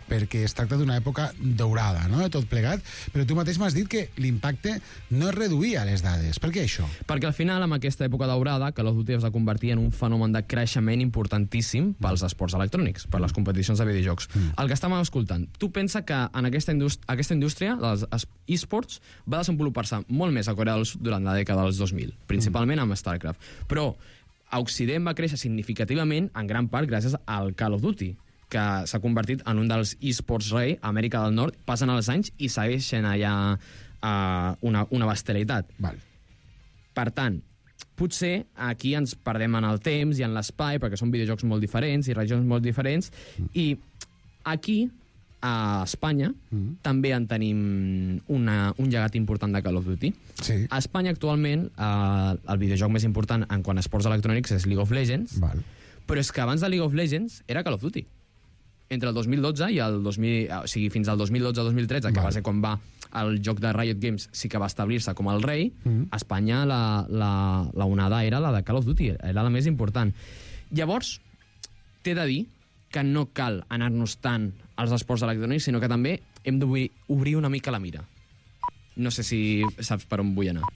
perquè es tracta d'una època daurada, no?, de tot plegat, però tu mateix m'has dit que l'impacte no es reduïa a les dades. Per què això? Perquè al final, amb aquesta època daurada, Call of Duty es va convertir en un fenomen de creixement importantíssim pels esports electrònics, per les competicions de videojocs. El que estàvem escoltant, tu pensa que en aquesta indústria, dels esports, va desenvolupar-se molt més a Corea del Sud durant la dècada dels 2000, principalment amb StarCraft. Però a Occident va créixer significativament en gran part gràcies al Call of Duty, que s'ha convertit en un dels esports rei a Amèrica del Nord. Passen els anys i segueixen allà una bestialitat. Per tant, potser aquí ens perdem en el temps i en l'espai, perquè són videojocs molt diferents i regions molt diferents, i aquí a Espanya també en tenim un llegat important de Call of Duty. Sí. A Espanya, actualment, el videojoc més important en quant a esports electrònics és League of Legends, però és que abans de League of Legends era Call of Duty. Entre el 2012 i el 2000... O sigui, fins al 2012-2013, que va ser quan va el joc de Riot Games sí que va establir-se com el rei, a Espanya la onada era la de Call of Duty, era la més important. Llavors, t'he de dir que no cal anar-nos tant als esports electrònics, sinó que també hem d'obrir una mica la mira. No sé si saps per on vull anar.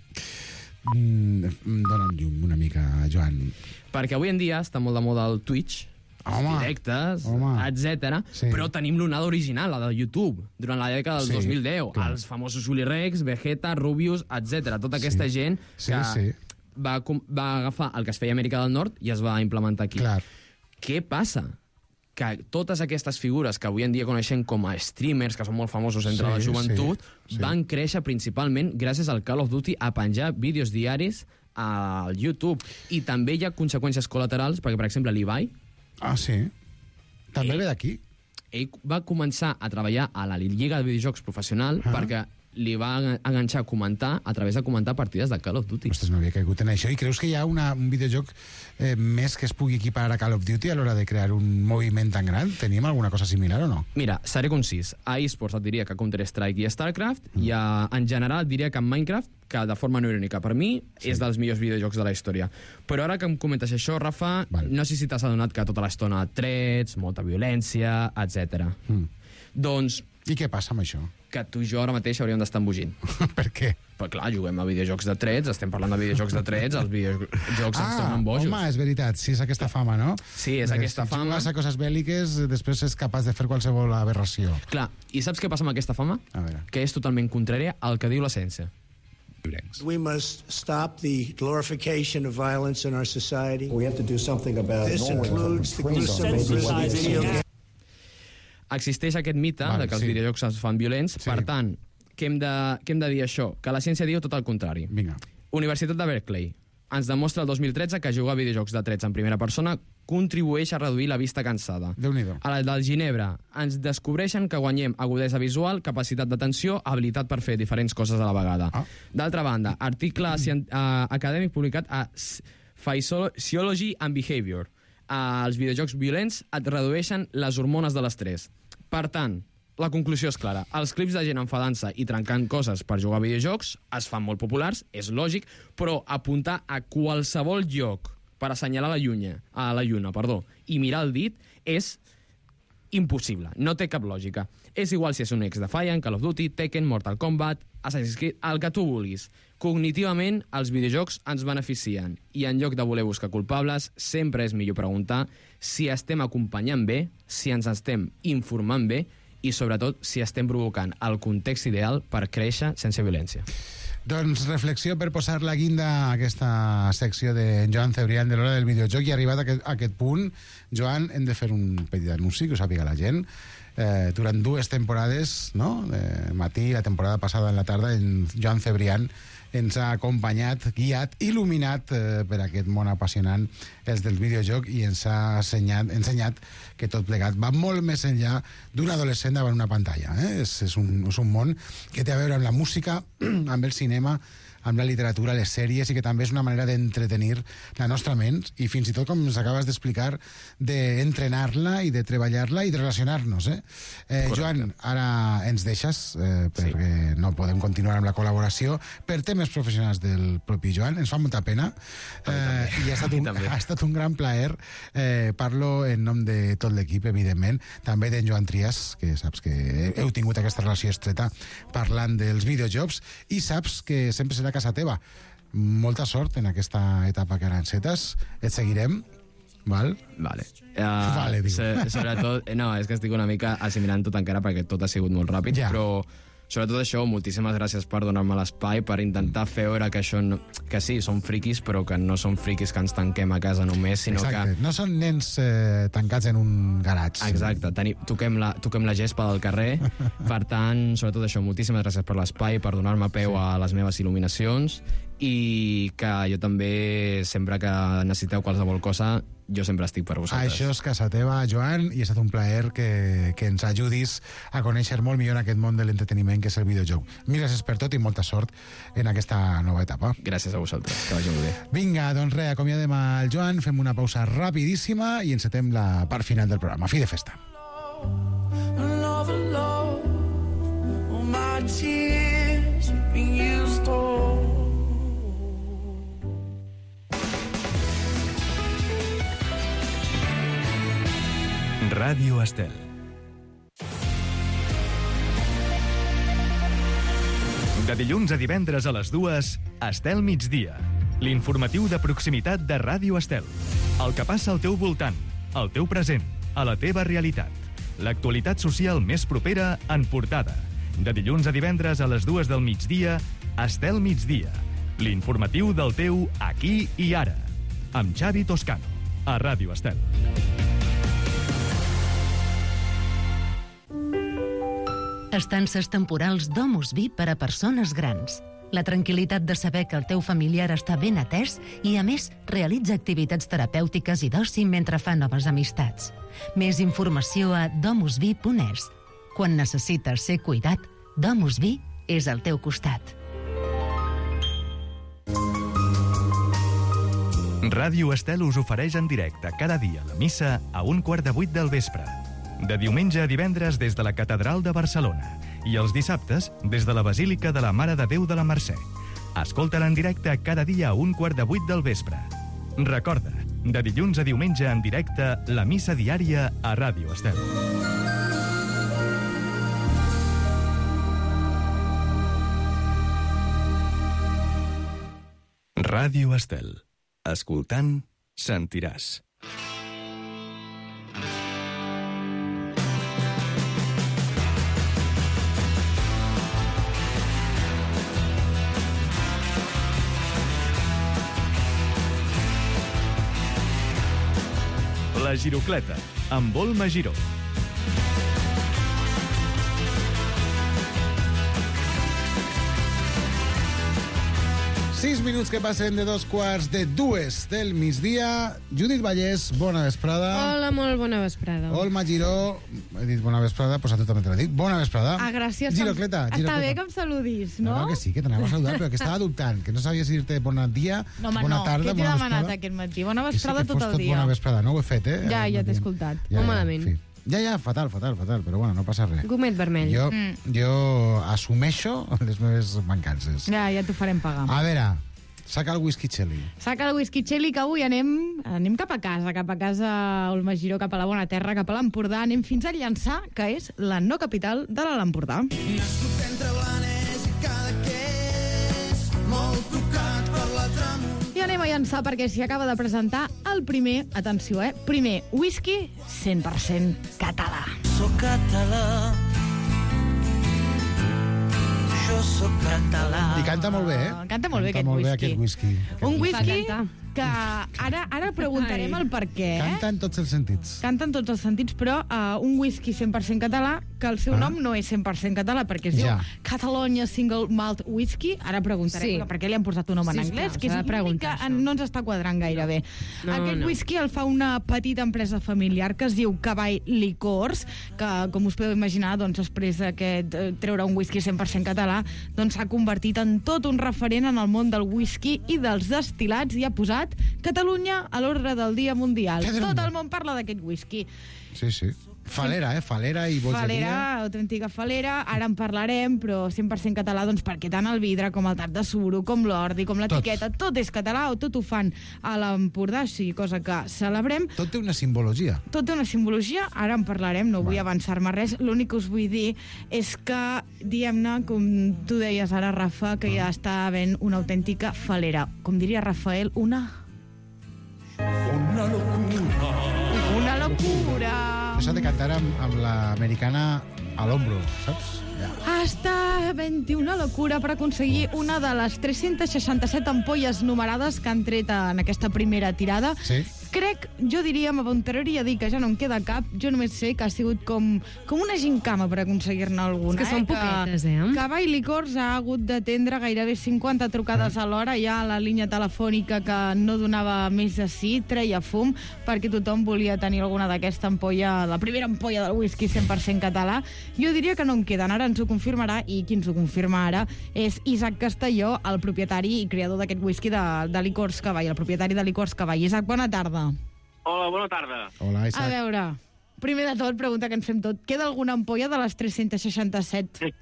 Dóna'm llum una mica, Joan. Perquè avui en dia està molt de moda el Twitch, els directes, etc. Sí. Però tenim l'onada original, la de YouTube, durant la dècada del 2010. Clar. Els famosos Willy Rex, Vegeta, Rubius, etc. Tota aquesta gent que va agafar el que es feia a Amèrica del Nord i es va implementar aquí. Clar. Què passa? Que totes aquestes figures que avui en dia coneixem com a streamers, que són molt famosos entre la joventut, van créixer principalment gràcies al Call of Duty a penjar vídeos diaris al YouTube. I també hi ha conseqüències col·laterals, perquè, per exemple, l'Ibai... Ah, sí? També ve d'aquí? Ell va començar a treballar a la Lliga de Videojocs Professional perquè li va enganxar a comentar a través de comentar partides de Call of Duty. Ostres, no havia caigut en això. I creus que hi ha un videojoc més que es pugui equiparar a Call of Duty a l'hora de crear un moviment tan gran? Tenim alguna cosa similar o no? Mira, seré concís. A eSports et diria que Counter-Strike i StarCraft, i en general et diria que en Minecraft, que de forma no irònica per mi, és dels millors videojocs de la història. Però ara que em comentes això, Rafa, no sé si t'has adonat que tota l'estona trets, molta violència, etc. Doncs... I què passa amb això? Que tu i jo ara mateix hauríem d'estar embogint. Per què? Però clar, juguem a videojocs de trets, estem parlant de videojocs de trets, els videojocs ens tornen bojos. Home, és veritat, sí, és aquesta fama, no? Sí, és aquesta fama. Si jugues a coses bèl·liques, després és capaç de fer qualsevol aberració. Clar, i saps què passa amb aquesta fama? A veure. Que és totalment contrària al que diu l'essència. We must stop the glorification of violence in our society. We have to do something about this includes the gruesome video games. Existeix aquest mite de que els videojocs es fan violents, per tant, què hem de dir això? Que la ciència diu tot el contrari. Vinga. Universitat de Berkeley ens demostra el 2013 que jugar a videojocs de trets en primera persona contribueix a reduir la vista cansada. Déu-n'hi-do. A la del Ginebra ens descobreixen que guanyem agudesa visual, capacitat d'atenció, habilitat per fer diferents coses a la vegada. D'altra banda, article acadèmic publicat a Physiology and Behavior. Els videojocs violents et redueixen les hormones de l'estrès. Per tant, la conclusió és clara. Els clips de gent enfadant-se i trencant coses per jugar a videojocs es fan molt populars, és lògic, però apuntar a qualsevol lloc per assenyalar la lluna, i mirar el dit és impossible, no té cap lògica. És igual si és un ex Defiant, Call of Duty, Tekken, Mortal Kombat, Assassin's Creed, el que tu vulguis. Cognitivament, els videojocs ens beneficien i en lloc de voler buscar culpables, sempre és millor preguntar si estem acompanyant bé, si ens estem informant bé i, sobretot, si estem provocant el context ideal per créixer sense violència. Doncs reflexió per posar la guinda a aquesta secció de Joan Cebrián de l'hora del videojoc, i arribat a aquest punt, Joan, hem de fer un petit anunci que ho sàpiga la gent. Durant 2 temporades, no? Matí, la temporada passada en la tarda, en Joan Cebrián ens ha acompanyat, guiat, il·luminat per aquest món apassionant els del videojoc, i ens ha ensenyat que tot plegat va molt més enllà d'un adolescent davant una pantalla. És un món que té a veure amb la música, amb el cinema, amb la literatura, les sèries, i que també és una manera d'entretenir la nostra ment i fins i tot, com ens acabes d'explicar, d'entrenar-la i de treballar-la i de relacionar-nos. Joan, ara ens deixes perquè no podem continuar amb la col·laboració per temes professionals del propi Joan. Ens fa molta pena i ha estat un gran plaer. Parlo en nom de tot l'equip, evidentment, també d'en Joan Trias, que saps que heu tingut aquesta relació estreta parlant dels videojocs, i saps que sempre serà casa teva. Molta sort en aquesta etapa que ara encetes. Et seguirem, val? Vale. Vale, diu. Sobretot, no, és que estic una mica assimilant tot encara perquè tot ha sigut molt ràpid, però sobretot això, moltíssimes gràcies per donar-me l'espai, per intentar fer veure que això que sí, són friquis, però que no són friquis que ens tanquem a casa només, sinó que... No són nens tancats en un garatge. Exacte, toquem la gespa del carrer. Per tant, sobretot això, moltíssimes gràcies per l'espai, per donar-me peu a les meves il·luminacions, i que jo també, sempre que necessiteu qualsevol cosa, jo sempre estic per vosaltres. Això és casa teva, Joan, i ha estat un plaer que ens ajudis a conèixer molt millor aquest món de l'entreteniment que és el videojoc. Mil gràcies per tot i molta sort en aquesta nova etapa. Gràcies a vosaltres, que vagi molt bé. Vinga, doncs res, acomiadem el Joan, fem una pausa rapidíssima i encetem la part final del programa. Fi de festa. Ràdio Estel. De dilluns a divendres a les 2, Estel Migdia. L'informatiu de proximitat de Ràdio Estel. El que passa al teu voltant, al teu present, a la teva realitat. L'actualitat social més propera en portada. De dilluns a divendres a les 2 del migdia, Estel Migdia. L'informatiu del teu aquí i ara. Amb Xavi Toscano, a Ràdio Estel. Estances temporals Domus Vi per a persones grans. La tranquil·litat de saber que el teu familiar està ben atès i, a més, realitza activitats terapèutiques i d'oci mentre fa noves amistats. Més informació a domusvi.es. Quan necessites ser cuidat, Domus Vi és al teu costat. Ràdio Estel us ofereix en directe cada dia la missa a 7:15 del vespre. De diumenge a divendres des de la Catedral de Barcelona i els dissabtes des de la Basílica de la Mare de Déu de la Mercè. Escolta-la en directe cada dia a 7:15 del vespre. Recorda, de dilluns a diumenge en directe, la missa diària a Ràdio Estel. Ràdio Estel. Escoltant, sentiràs. La Girocleta, amb Volma Giró. Sis minuts que passen de 2:45 del migdia. Judit Vallès, bona vesprada. Hola, molt bona vesprada. Olma Giró, he dit bona vesprada, doncs a tu també te la dic. Bona vesprada. Ah, gràcies. Girocleta. Està bé que em saludis, no? No, que sí, que t'anava a saludar, però que estava dubtant, que no sabia si dir-te bon dia, bona tarda, bona vesprada. Què t'he demanat aquest matí? Bona vesprada tot el dia. Bona vesprada, no ho he fet, eh? Ja t'he escoltat. Molt malament. Ja, fatal, però bueno, no passa res. Gomet vermell. Jo assumeixo les meves mancances. Ja t'ho farem pagar. A veure, saca el whisky Chelly. Saca el whisky Chelly, que avui anem cap a casa, Olma Giró, cap a la bona terra, cap a l'Empordà. Anem fins a Llançà, que és la no capital de l'Alt Empordà. Nascut entre Blanes i Cadaqués, molt tocat per la tramuntana. I anem a Llançà perquè s'hi acaba de presentar el primer, atenció, primer whisky 100% català. Soc català, jo soc català. I canta molt bé, eh? Canta molt bé aquest whisky. Un whisky que ara preguntarem el per què. Canta en tots els sentits. Canta en tots els sentits, però un whisky 100% català, que el seu nom no és 100% català, perquè es diu Catalonia Single Malt Whisky. Ara preguntarem per què li han posat un nom en anglès, que és l'únic que no ens està quadrant gaire bé. Aquest whisky el fa una petita empresa familiar que es diu Cavall Licors, que, com us podeu imaginar, doncs, després d'aquest treure un whisky 100% català, doncs s'ha convertit en tot un referent en el món del whisky i dels destil·lats i ha posat Catalunya a l'ordre del dia mundial. Tot el món parla d'aquest whisky. Sí. Falera i bogeria. Falera, autèntica falera. Ara en parlarem, però 100% català, doncs perquè tant el vidre com el tap de suro, com l'ordi, com l'etiqueta, tot és català, o tot ho fan a l'Empordà, sí, cosa que celebrem. Tot té una simbologia. Ara en parlarem, no vull avançar-me res. L'únic que us vull dir és que, diguem-ne, com tu deies ara, Rafa, que ja està havent una autèntica falera. Com diria Rafael, una locura. Això s'ha de cantar amb l'americana a l'ombro, saps? Està havent-hi una locura per aconseguir una de les 367 ampolles numerades que han tret en aquesta primera tirada. Jo diria, m'aventuraria a dir que ja no en queda cap, jo només sé que ha sigut com una gincama per aconseguir-ne alguna. És que són poquetes, Cava i Licors ha hagut d'atendre gairebé 50 trucades a l'hora, ja a la línia telefònica que no donava més de sí, treia fum, perquè tothom volia tenir alguna d'aquesta ampolla, la primera ampolla del whisky 100% català. Jo diria que no en queden, ara ens ho confirmarà, i qui ens ho confirma ara és Isaac Castelló, el propietari i creador d'aquest whisky de Licors Cavall, el propietari de Licors Cavall. Isaac, bona tarda. Hola, bona tarda. Hola, Isaac. A veure, primer de tot, pregunta que ens fem tot. Queda alguna ampolla de les 367?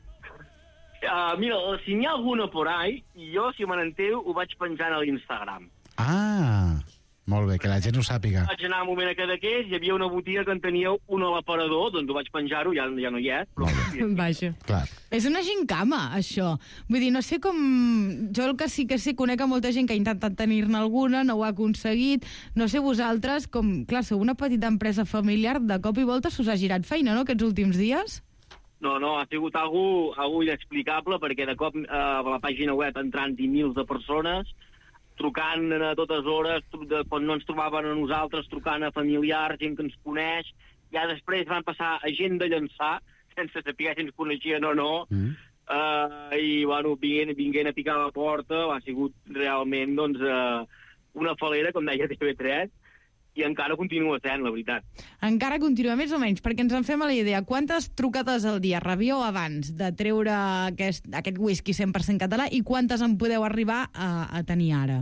Mira, si n'hi ha alguna por ahí, jo, si me n'enteu, ho vaig penjant a l'Instagram. Ah, molt bé, que la gent ho sàpiga. Vaig anar un moment a cada d'aquests, hi havia una botiga que en tenia un a l'aparador, doncs ho vaig penjar-ho, ja no hi és. Però... Vaja. Clar. És una gincama, això. Vull dir, no sé com... Jo el que sí que sé, conec a molta gent que ha intentat tenir-ne alguna, no ho ha aconseguit. No sé vosaltres, com... Clar, sou una petita empresa familiar, de cop i volta s'us ha girat feina, no?, aquests últims dies? No, ha sigut algo inexplicable, perquè de cop a la pàgina web entrant-hi mils de persones, trucant a totes hores, quan no ens trobaven a nosaltres, trucant a familiars, gent que ens coneix. Ja després van passar a gent de llançar, sense saber si ens coneixien o no, i, bueno, vinguent a picar a la porta, ha sigut realment, doncs, una falera, com deia TV3, i encara continua sent, la veritat. Encara continua, més o menys, perquè ens en fem a la idea. Quantes trucades al dia rebíeu abans de treure aquest whisky 100% català i quantes en podeu arribar a tenir ara?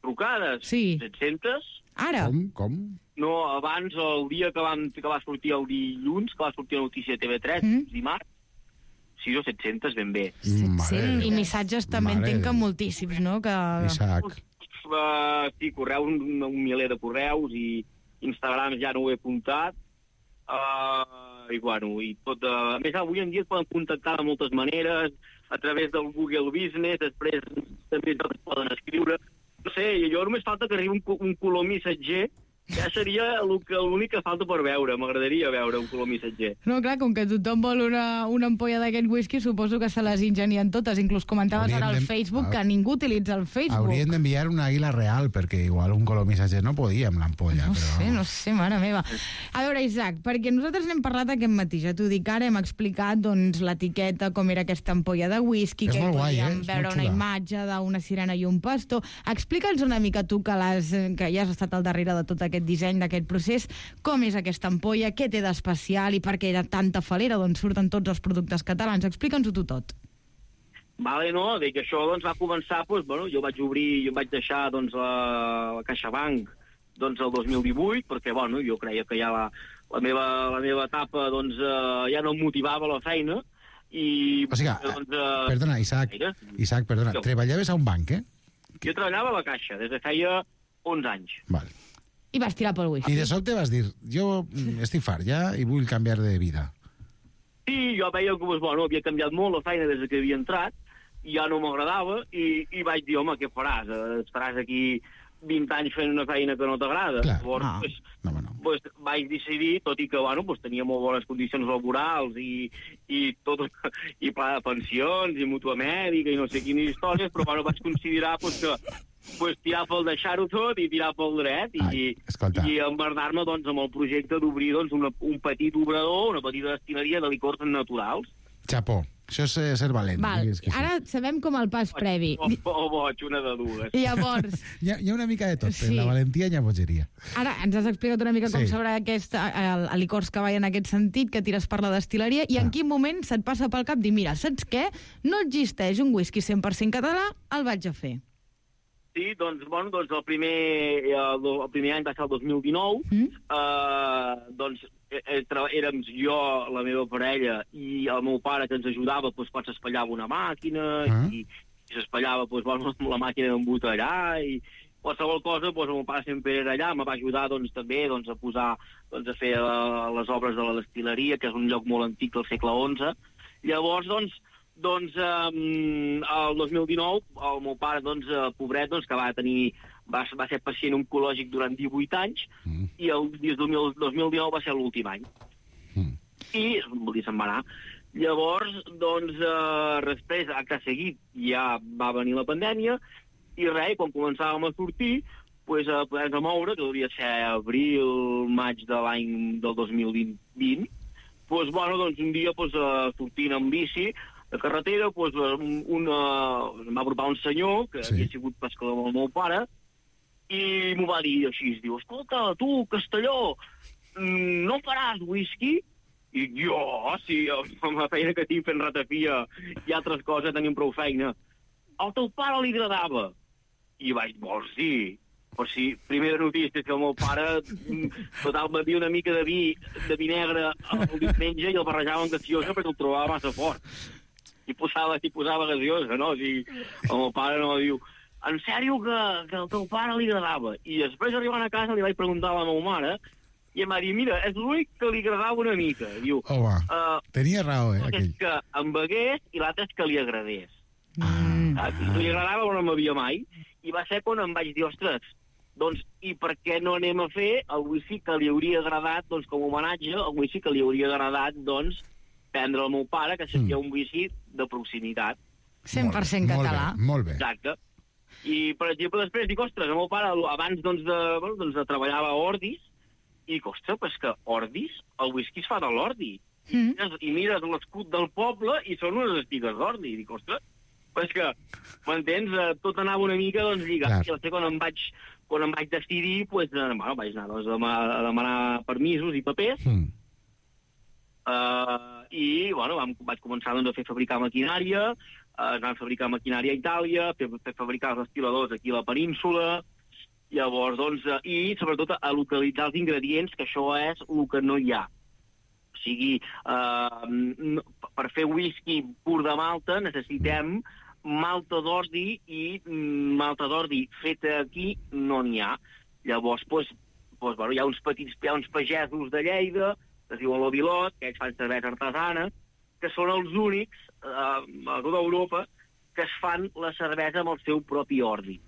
Trucades? Sí. 700? Ara? Com? No, abans, el dia que va sortir el dilluns, que va sortir la notícia de TV3, dimarts, 6 o 700 ben bé. 700. I missatges també entenc que moltíssims, no? Isaac. Sí, correus, un miler de correus, i Instagram ja no ho he apuntat, i bueno, i tot... A més, avui en dia es poden contactar de moltes maneres, a través del Google Business, després també es poden escriure. No sé, jo només falta que arribi un color missatger, ja seria l'únic que falta per veure. M'agradaria veure un color missatger. No, clar, com que tothom vol una ampolla d'aquest whisky, suposo que se les ingenien totes. Inclús comentaves ara al Facebook que ningú utilitza el Facebook. Haurien d'enviar una àguila real, perquè igual un color missatger no podia amb l'ampolla. No sé, mare meva. A veure, Isaac, perquè nosaltres n'hem parlat aquest matí, ja t'ho dic ara, hem explicat doncs, l'etiqueta, com era aquesta ampolla de whisky, que podíem veure una imatge d'una sirena i un pastor. Explica'ns una mica tu, que ja has estat al darrere de tot aquest disseny, d'aquest procés, com és aquesta ampolla, què té d'especial i per què era tanta falera d'on surten tots els productes catalans. Explica'ns-ho tu tot. Vale, no, dic que això doncs, va començar, doncs, bueno, jo vaig deixar doncs, la CaixaBank doncs, el 2018, perquè bueno, jo creia que ja la meva etapa doncs, ja no em motivava la feina, i... O sigui, perdona, Isaac, treballaves a un banc, eh? Jo treballava a la Caixa, des de feia 11 anys. Val. I vas tirar pel whisky. I de sobte vas dir, jo estic fart ja i vull canviar de vida. Sí, jo veia que bueno, havia canviat molt la feina des que havia entrat, i ja no m'agradava, i vaig dir, home, què faràs? Estaràs aquí 20 anys fent una feina que no t'agrada? Llavors, pues, vaig decidir, tot i que bueno, pues, tenia molt bones condicions laborals i tot, i pla de pensions, i mútua mèdica, i no sé quines històries, però bueno, vaig considerar pues, que tirar pel deixar-ho tot i tirar pel dret i emmerdar-me doncs, amb el projecte d'obrir doncs, un petit obrador, una petita destileria de licors naturals. Xapó, això és ser valent. Val. Ara sabem com el pas previ. O boig, una de dues. Llavors... hi ha una mica de tot, sí. La valentia i la bogeria. Ara ens has explicat una mica com s'obre el licors Cavall en aquest sentit, que tires per la destil·leria, i en quin moment se't passa pel cap dir, mira, saps què? No existeix un whisky 100% català, el vaig a fer. Sí, doncs, bueno, doncs el primer any va ser el 2019, doncs érem jo, la meva parella i el meu pare que ens ajudava, doncs quan s'espatllava una màquina i s'espatllava doncs, bueno, la màquina d'embotellar i qualsevol cosa, doncs el meu pare sempre era allà, me va ajudar doncs, també doncs, a posar, doncs, a fer les obres de la destil·leria, que és un lloc molt antic del segle XI. Llavors, doncs, el 2019, el meu pare, doncs, pobret, doncs, que va ser pacient oncològic durant 18 anys, i el 2019 va ser l'últim any. I, vol dir, se'n va anar. Llavors, doncs, després, acte seguit, ja va venir la pandèmia, i res, quan començàvem a sortir, poder-nos moure, que hauria de ser abril, maig de l'any del 2020, un dia sortint amb bici de carretera, em va apropar un senyor que havia sigut pescador amb el meu pare i m'ho va dir així, diu, escolta, tu, Castelló, no faràs whisky? I jo, sí, amb la feina que tinc fent ratafia i altres coses, tenim prou feina. Al teu pare li agradava. I vaig dir, vols dir? Però sí, primera notícia, que el meu pare total batia una mica de vi negre el diumenge i el barrejava amb gaseosa perquè el trobava massa fort. I posava gaseosa, no? O sigui, el meu pare no diu, en sèrio que al teu pare li agradava? I després, arribant a casa, li vaig preguntar a la meva mare i em va dir, mira, és l'únic que li agradava una mica. Diu, tenia raó, aquell. És que em begués i l'altre és que li agradés. Li agradava però no m'havia mai. I va ser quan em vaig dir, ostres, doncs, i per què no anem a fer el whisky que li hauria agradat, doncs, com a homenatge, el whisky que li hauria agradat, doncs, prendre el meu pare, que seria un whisky de proximitat. 100% català. Molt bé. Exacte. I, per exemple, després dic, ostres, el meu pare, abans de treballar a Ordis, i dic, ostres, però és que Ordis, el whisky es fa de l'ordi. I mires l'escut del poble i són unes espigues d'ordi. I dic, ostres, però és que, m'entens? Tot anava una mica, doncs, lligat. I quan em vaig decidir, vaig anar a demanar permisos i papers, i, vaig començar a fer fabricar maquinària, es van fabricar maquinària a Itàlia, fer fabricar els destil·ladors aquí a la península, llavors, doncs, i sobretot a localitzar els ingredients, que això és el que no hi ha. O sigui, per fer whisky pur de malta necessitem malta d'ordi i malta d'ordi feta aquí no n'hi ha. Llavors, hi ha uns pagesos de Lleida, que es diuen l'Ovilot, que ells fan cervesa artesana, que són els únics a tota Europa que es fan la cervesa amb el seu propi ordi.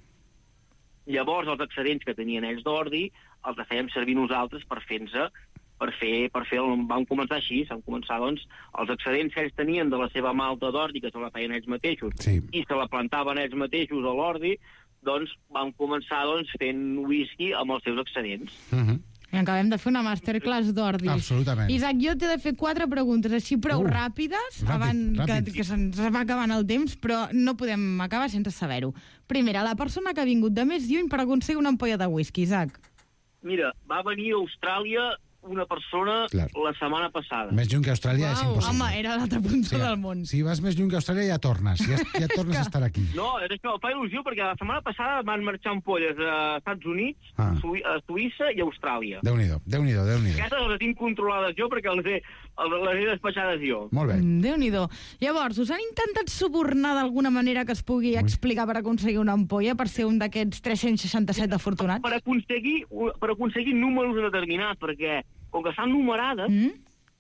Llavors, els excedents que tenien ells d'ordi els fèiem servir nosaltres per vam començar així, doncs, els excedents que ells tenien de la seva malta d'ordi, que se la feien ells mateixos, i se la plantaven ells mateixos a l'ordi, doncs vam començar fent whisky amb els seus excedents. I acabem de fer una masterclass d'ordi. Absolutament. Isaac, jo t'he de fer 4 preguntes així prou ràpides, abans que se'ns va acabant el temps, però no podem acabar sense saber-ho. Primera, la persona que ha vingut de més lluny per aconseguir una ampolla de whisky, Isaac. Mira, va venir a Austràlia una persona la setmana passada. Més lluny que Austràlia és impossible. Home, era a l'altra punta del món. Si vas més lluny que Austràlia ja tornes. Ja tornes a estar aquí. No, és que em fa il·lusió perquè la setmana passada van marxar ampolles a Estats Units, a Suïssa i a Austràlia. Déu-n'hi-do. Aquestes les tinc controlades jo perquè les he despatxades jo. Molt bé. Déu-n'hi-do. Llavors, us han intentat subornar d'alguna manera que es pugui explicar per aconseguir una ampolla, per ser un d'aquests 367 afortunats? Per aconseguir números determinats, perquè com que estan numerades,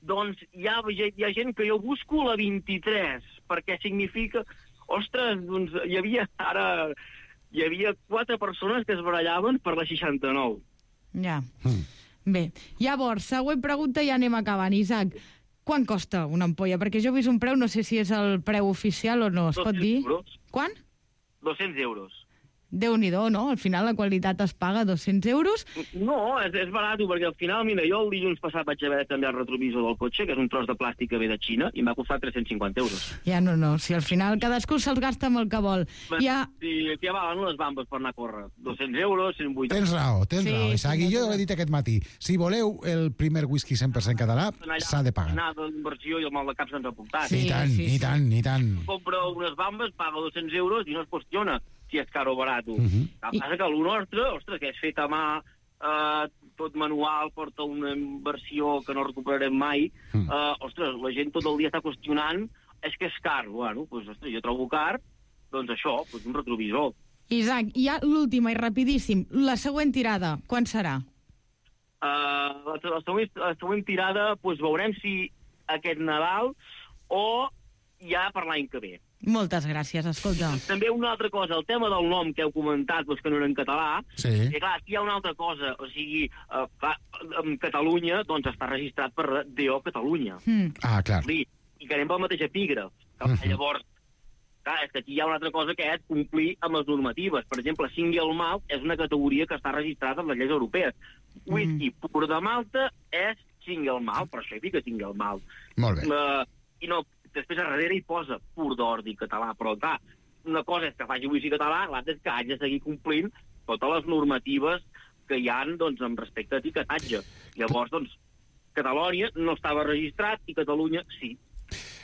doncs hi ha gent que jo busco la 23, perquè significa... Ostres, doncs hi havia 4 persones que es barallaven per la 69. Ja. Bé, llavors, següent pregunta i ja anem acabant. Isaac, quant costa una ampolla? Perquè jo he vist un preu, no sé si és el preu oficial o no, es pot dir? 200 euros. Quant? 200 euros. Déu-n'hi-do, no? Al final la qualitat es paga 200 euros. No, és barat, perquè al final, mira, jo el dilluns passat vaig haver de canviar el retrovisor del cotxe, que és un tros de plàstic que ve de Xina, i em va costar 350 euros. Ja no, si al final cadascú se'ls gasta amb el que vol. Sí, ja valen les bambes per anar a córrer. 200 euros, 180... Tens raó, Isaac, i jo ho he dit aquest matí. Si voleu el primer whisky 100% català, s'ha de pagar. Anar d'inversió i el mal de cap se'ns ha portat. I tant. Compra unes bambes, paga 200 euros i no es qüestiona si és car o barat. El que passa que el nostre, ostres, que és fet a mà, tot manual, porta una inversió que no recuperarem mai, ostres, la gent tot el dia està qüestionant, és que és car. Bueno, doncs, ostres, jo trobo car, doncs això, doncs un retrovisor. Isaac, i ja l'última i rapidíssim, la següent tirada, quan serà? La següent tirada, doncs veurem si aquest Nadal o ja per l'any que ve. Moltes gràcies, escolta. També una altra cosa, el tema del nom que heu comentat, que no era en català, i clar, aquí hi ha una altra cosa, o sigui, en Catalunya, doncs està registrat per DO Catalunya. Clar. I que anem pel mateix epígraf. Llavors, Clar, és que aquí hi ha una altra cosa que és complir amb les normatives. Per exemple, single malt és una categoria que està registrada en les lleis europees. Whisky pur de Malta és single malt, per això hi fica single malt. Molt bé. I no, després a darrere hi posa pur d'ordi català, però clar, una cosa és que faci whisky català, l'altra és que hagi de seguir complint totes les normatives que hi ha, doncs, amb respecte a etiquetatge. Llavors, doncs, Catalònia no estava registrat i Catalunya sí.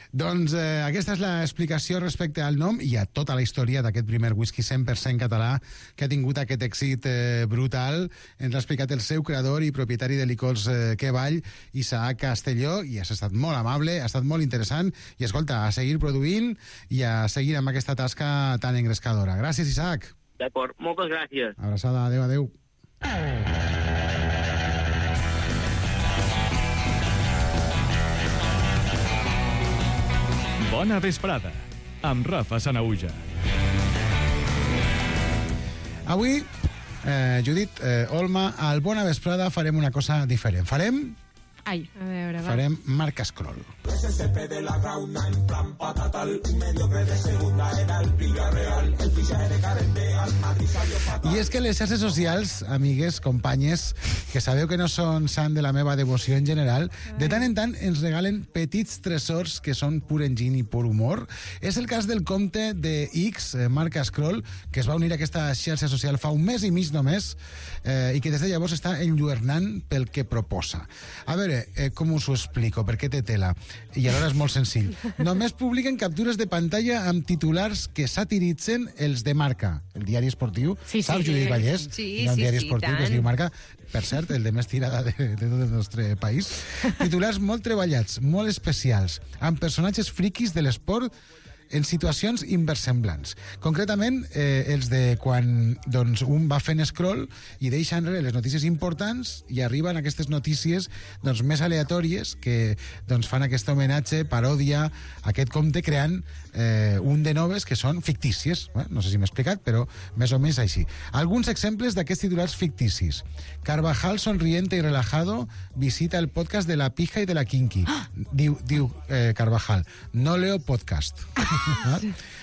Doncs aquesta és l'explicació respecte al nom i a tota la història d'aquest primer whisky 100% català que ha tingut aquest èxit brutal. Ens l'ha explicat el seu creador i propietari de licors Que Vall, Isaac Castelló, i has estat molt amable, ha estat molt interessant, i escolta, a seguir produint i a seguir amb aquesta tasca tan engrescadora. Gràcies, Isaac. D'acord, moltes gràcies. Abraçada, adeu, adeu. Bona vesprada, amb Rafa Sanaüja. Avui, Judit, Olma, al Bona Vesprada farem una cosa diferent. Ai, a veure, va. Farem marca scroll. SSP de la Gauna en plan patatal, un mediocre de segunda era el Villarreal, el fichaje de Carende al Madrid salió fatal. I és que les xarxes socials, amigues, companyes, que sabeu que no són sant de la meva devoció en general, de tant en tant ens regalen petits tresors que són pur enginy i pur humor. És el cas del compte de X, marca Scroll, que es va unir a aquesta xarxa social fa un mes i mig només, i que des de llavors està enlluernant pel que proposa. A veure, com us ho explico, perquè té tela, i alhora és molt senzill. Només publiquen captures de pantalla amb titulars que satiritzen els de Marca, el diari esportiu. Saps, Judit Vallès? Hi ha un diari esportiu que es diu Marca, per cert, el de més tirada de tot el nostre país. Titulars molt treballats, molt especials, amb personatges friquis de l'esport en situacions inversemblants. Concretament, els de quan doncs, un va fent scroll i deixa enrere les notícies importants i arriben aquestes notícies doncs, més aleatòries que doncs, fan aquest homenatge, paròdia, a aquest compte creant un de noves que són fictícies. No sé si m'he explicat, però més o menys així. Alguns exemples d'aquests titulars ficticis. Carvajal sonriente y relajado visita el podcast de la pija y de la kinky. Diu Carvajal, no leo podcast.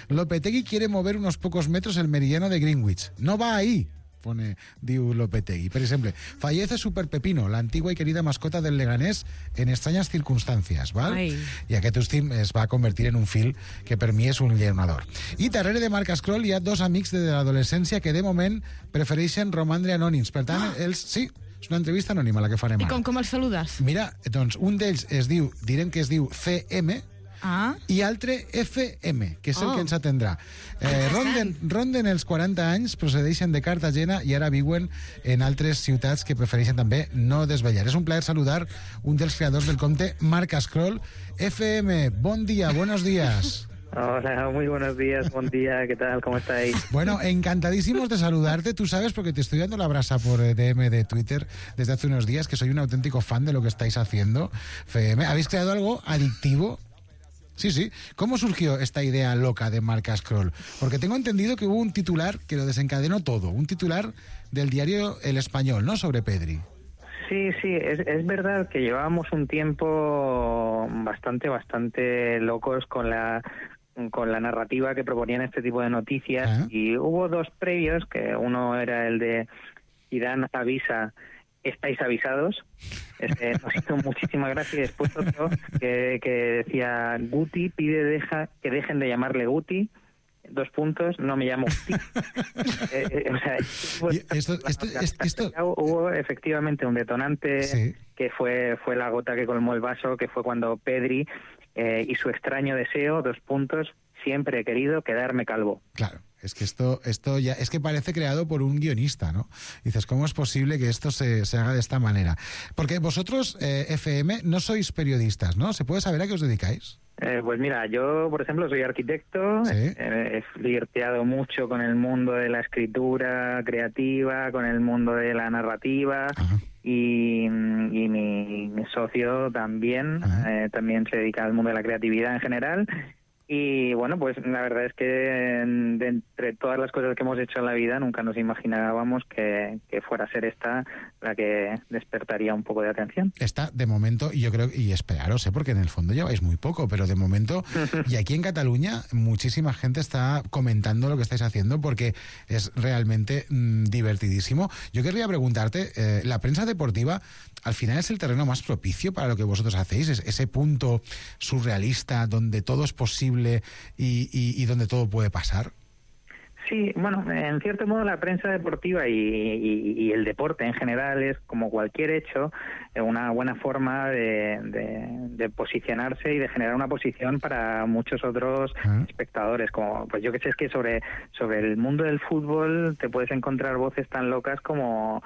Lopetegui quiere mover unos pocos metros el meridiano de Greenwich. No va ahí, diu Lopetegui. Per exemple, fallece Super Pepino, la antigua y querida mascota del Leganés, en extrañas circunstancias, ¿val? Ai. I aquest últim es va convertir en un fil que per mi és un lleonador. I darrere de Marca Scroll hi ha dos amics de l'adolescència que de moment prefereixen romandre anònims. Per tant, ells, sí, és una entrevista anònima la que farem ara. I com els saludes? Mira, doncs un d'ells direm que es diu CM, i altre FM, que és el que ens atendrà. Ronden els 40 anys, procedeixen de Cartagena i ara viuen en altres ciutats que prefereixen també no desvetllar. És un plaer saludar un dels creadors del compte Marca Scroll. FM, bon día, buenos días. Hola, muy buenos días, buen día, ¿qué tal? ¿Cómo estáis? Bueno, encantadísimos de saludarte. Tú sabes, porque te estoy dando la brasa por DM de Twitter desde hace unos días, que soy un auténtico fan de lo que estáis haciendo. FM, habéis creado algo adictivo. Sí. ¿Cómo surgió esta idea loca de Marca Scroll? Porque tengo entendido que hubo un titular que lo desencadenó todo, un titular del diario El Español, ¿no?, sobre Pedri. Sí, es verdad que llevábamos un tiempo bastante locos con la narrativa que proponían este tipo de noticias, y hubo dos previos, que uno era el de Zidane avisa, estáis avisados. Nos hizo muchísima gracia. Y después otro que decía, Guti pide que dejen de llamarle Guti, : no me llamo Guti. Hubo efectivamente un detonante, que fue la gota que colmó el vaso, que fue cuando Pedri y su extraño deseo, : siempre he querido quedarme calvo. Claro. Es que esto ya es que parece creado por un guionista, ¿no? Dices, ¿cómo es posible que esto se haga de esta manera? Porque vosotros, FM, no sois periodistas, ¿no? ¿Se puede saber a qué os dedicáis? Pues mira, yo, por ejemplo, soy arquitecto. He flirteado mucho con el mundo de la escritura creativa, con el mundo de la narrativa. Y mi socio también se dedica al mundo de la creatividad en general. Y bueno, pues la verdad es que de entre todas las cosas que hemos hecho en la vida nunca nos imaginábamos que fuera a ser esta la que despertaría un poco de atención. Está, de momento, y yo creo, y esperaros, porque en el fondo lleváis muy poco, pero de momento, y aquí en Cataluña, muchísima gente está comentando lo que estáis haciendo porque es realmente divertidísimo. Yo querría preguntarte, la prensa deportiva, al final es el terreno más propicio para lo que vosotros hacéis, es ese punto surrealista donde todo es posible y donde todo puede pasar. Sí, bueno, en cierto modo la prensa deportiva y el deporte en general es, como cualquier hecho, una buena forma de posicionarse y de generar una posición para muchos otros espectadores. Como, pues yo que sé, es que sobre el mundo del fútbol te puedes encontrar voces tan locas como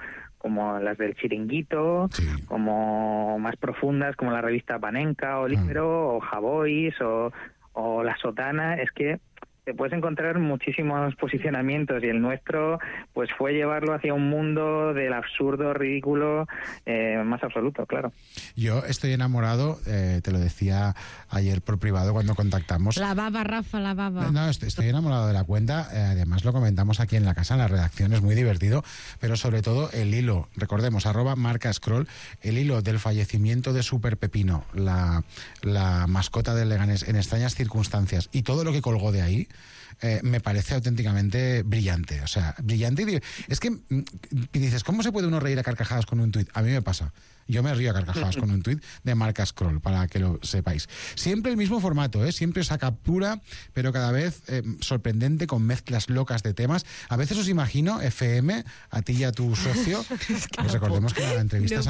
las del Chiringuito, como más profundas como la revista Panenka o Libero o Javois o La Sotana. Es que te puedes encontrar muchísimos posicionamientos y el nuestro pues fue llevarlo hacia un mundo del absurdo, ridículo, más absoluto, claro. Yo estoy enamorado, te lo decía ayer por privado cuando contactamos. La baba, Rafa, la baba. No, estoy enamorado de la cuenta, además lo comentamos aquí en la casa, en la redacción, es muy divertido, pero sobre todo el hilo, recordemos, @marcascroll, el hilo del fallecimiento de Super Pepino, la mascota del Leganés, en extrañas circunstancias, y todo lo que colgó de ahí, me parece auténticamente brillante. O sea, brillante. Es que dices, ¿cómo se puede uno reír a carcajadas con un tuit? A mí me pasa. Yo me río a carcajadas con un tuit de Marca Scroll, para que lo sepáis. Siempre el mismo formato, siempre os captura, pero cada vez sorprendente, con mezclas locas de temas. A veces os imagino, FM, a ti y a tu socio, pues recordemos que la entrevista es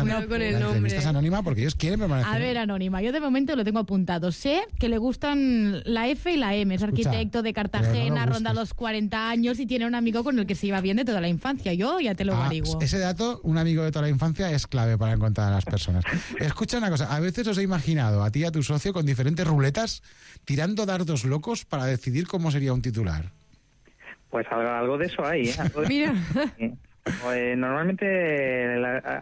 anónima porque ellos quieren permanecer. A ver, anónima, yo de momento lo tengo apuntado. Sé que le gustan la F y la M, es arquitecto de Cartagena, ronda los 40 años y tiene un amigo con el que se iba bien de toda la infancia. Yo ya te lo averiguo. Ese dato, un amigo de toda la infancia, es clave para encontrar a las personas. Escucha una cosa, a veces os he imaginado a ti y a tu socio con diferentes ruletas tirando dardos locos para decidir cómo sería un titular. Pues algo de eso hay, Mira. Normalmente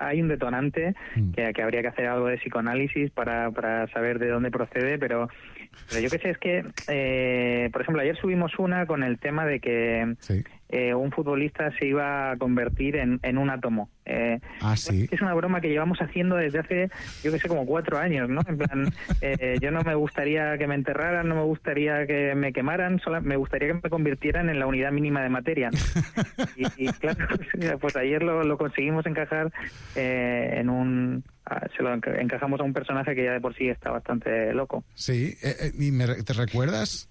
hay un detonante que habría que hacer algo de psicoanálisis para saber de dónde procede, pero yo qué sé, es que, por ejemplo, ayer subimos una con el tema de que un futbolista se iba a convertir en un átomo. ¿Sí? Es una broma que llevamos haciendo desde hace, yo que sé, como 4 años, ¿no? En plan, yo no me gustaría que me enterraran, no me gustaría que me quemaran, me gustaría que me convirtieran en la unidad mínima de materia. Y claro, pues ayer lo conseguimos encajar en un... Se lo encajamos a un personaje que ya de por sí está bastante loco. Sí, ¿y te recuerdas?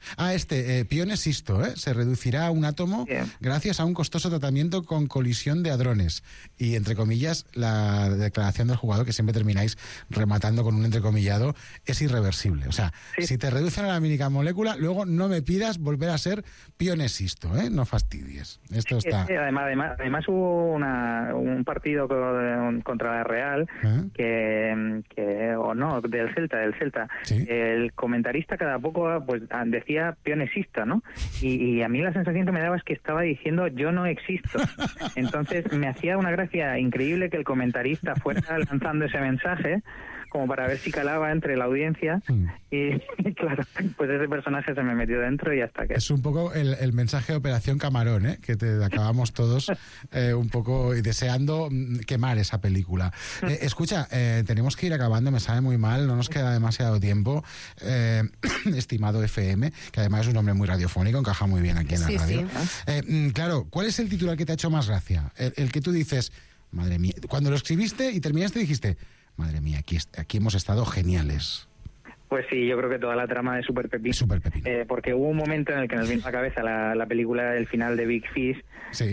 Pione Sisto, se reducirá a un átomo gracias a un costoso tratamiento con colisión de hadrones. Y, entre comillas, la declaración del jugador, que siempre termináis rematando con un entrecomillado, es irreversible. O sea, si te reducen a la mínima molécula, luego no me pidas volver a ser Pione Sisto, no fastidies. Esto está... Además hubo un partido contra la Real del Celta. Sí. El comentarista cada poco pues decía pionesista, ¿no? Y a mí la sensación que me daba es que estaba diciendo yo no existo. Entonces me hacía una gracia increíble que el comentarista fuera lanzando ese mensaje como para ver si calaba entre la audiencia y claro, pues ese personaje se me metió dentro y hasta que... Es un poco el mensaje de Operación Camarón, que te acabamos todos un poco deseando quemar esa película. Escucha, tenemos que ir acabando, me sabe muy mal, no nos queda demasiado tiempo. Estimado FM, que además es un hombre muy radiofónico, encaja muy bien aquí en la radio. Sí. Claro, ¿cuál es el titular que te ha hecho más gracia? El que tú dices, madre mía, cuando lo escribiste y terminaste dijiste... Madre mía, aquí hemos estado geniales. Pues sí, yo creo que toda la trama de Super Pepino. Porque hubo un momento en el que nos vino a la cabeza la película del final de Big Fish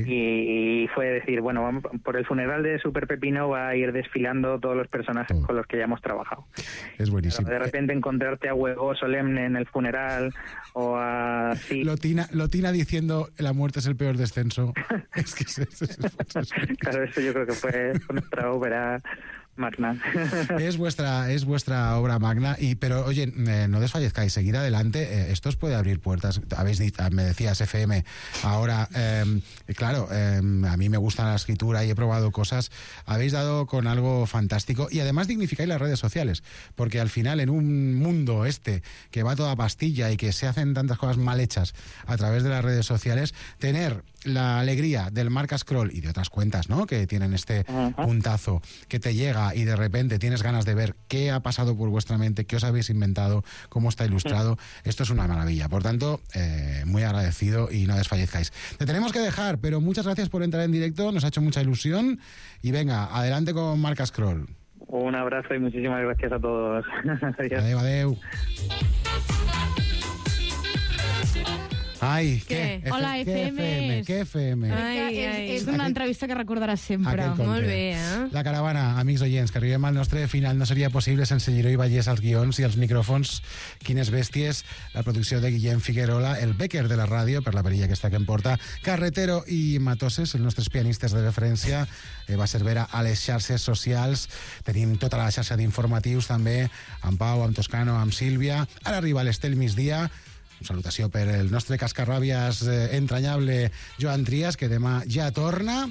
y fue decir, bueno, vamos, por el funeral de Super Pepino va a ir desfilando todos los personajes con los que ya hemos trabajado. Es buenísimo. Pero de repente encontrarte a Huevo Solemne en el funeral o a... Lotina diciendo la muerte es el peor descenso. Es que claro, eso yo creo que fue nuestra ópera magna. Es vuestra obra magna, pero oye, no desfallezcáis, seguir adelante, esto os puede abrir puertas. Habéis dicho, me decías FM, ahora, claro, a mí me gusta la escritura y he probado cosas, habéis dado con algo fantástico y además dignificáis las redes sociales, porque al final en un mundo que va toda pastilla y que se hacen tantas cosas mal hechas a través de las redes sociales, tener la alegría del Marca Scroll y de otras cuentas, ¿no?, que tienen este puntazo, que te llega y de repente tienes ganas de ver qué ha pasado por vuestra mente, qué os habéis inventado, cómo está ilustrado. Esto es una maravilla. Por tanto, muy agradecido y no desfallezcáis. Te tenemos que dejar, pero muchas gracias por entrar en directo, nos ha hecho mucha ilusión y venga, adelante con Marca Scroll. Un abrazo y muchísimas gracias a todos. Adeu, adeu. Ai, què? Hola, FM. Què FM? És una entrevista que recordaràs sempre. Molt bé, La caravana, amics oients, que arribem al nostre final. No seria possible sense Giró i Vallès als guions i als micròfons. Quines bèsties. La producció de Guillem Figuerola, el Becker de la ràdio, per la perilla aquesta que em porta, Carretero i Matoses, els nostres pianistes de referència, va Cervera a les xarxes socials. Tenim tota la xarxa d'informatius també, amb Pau, amb Toscano, amb Sílvia. Ara arriba l'Estel Migdia. Salutació per el nostre cascarràbies entranyable Joan Trias, que demà ja torna,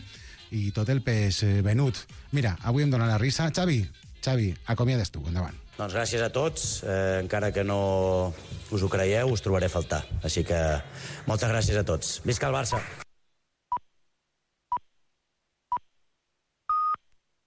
i tot el peix venut. Mira, avui em dóna la risa. Xavi, acomiades tu, endavant. Doncs gràcies a tots, encara que no us ho creieu, us trobaré a faltar. Així que moltes gràcies a tots. Visca el Barça!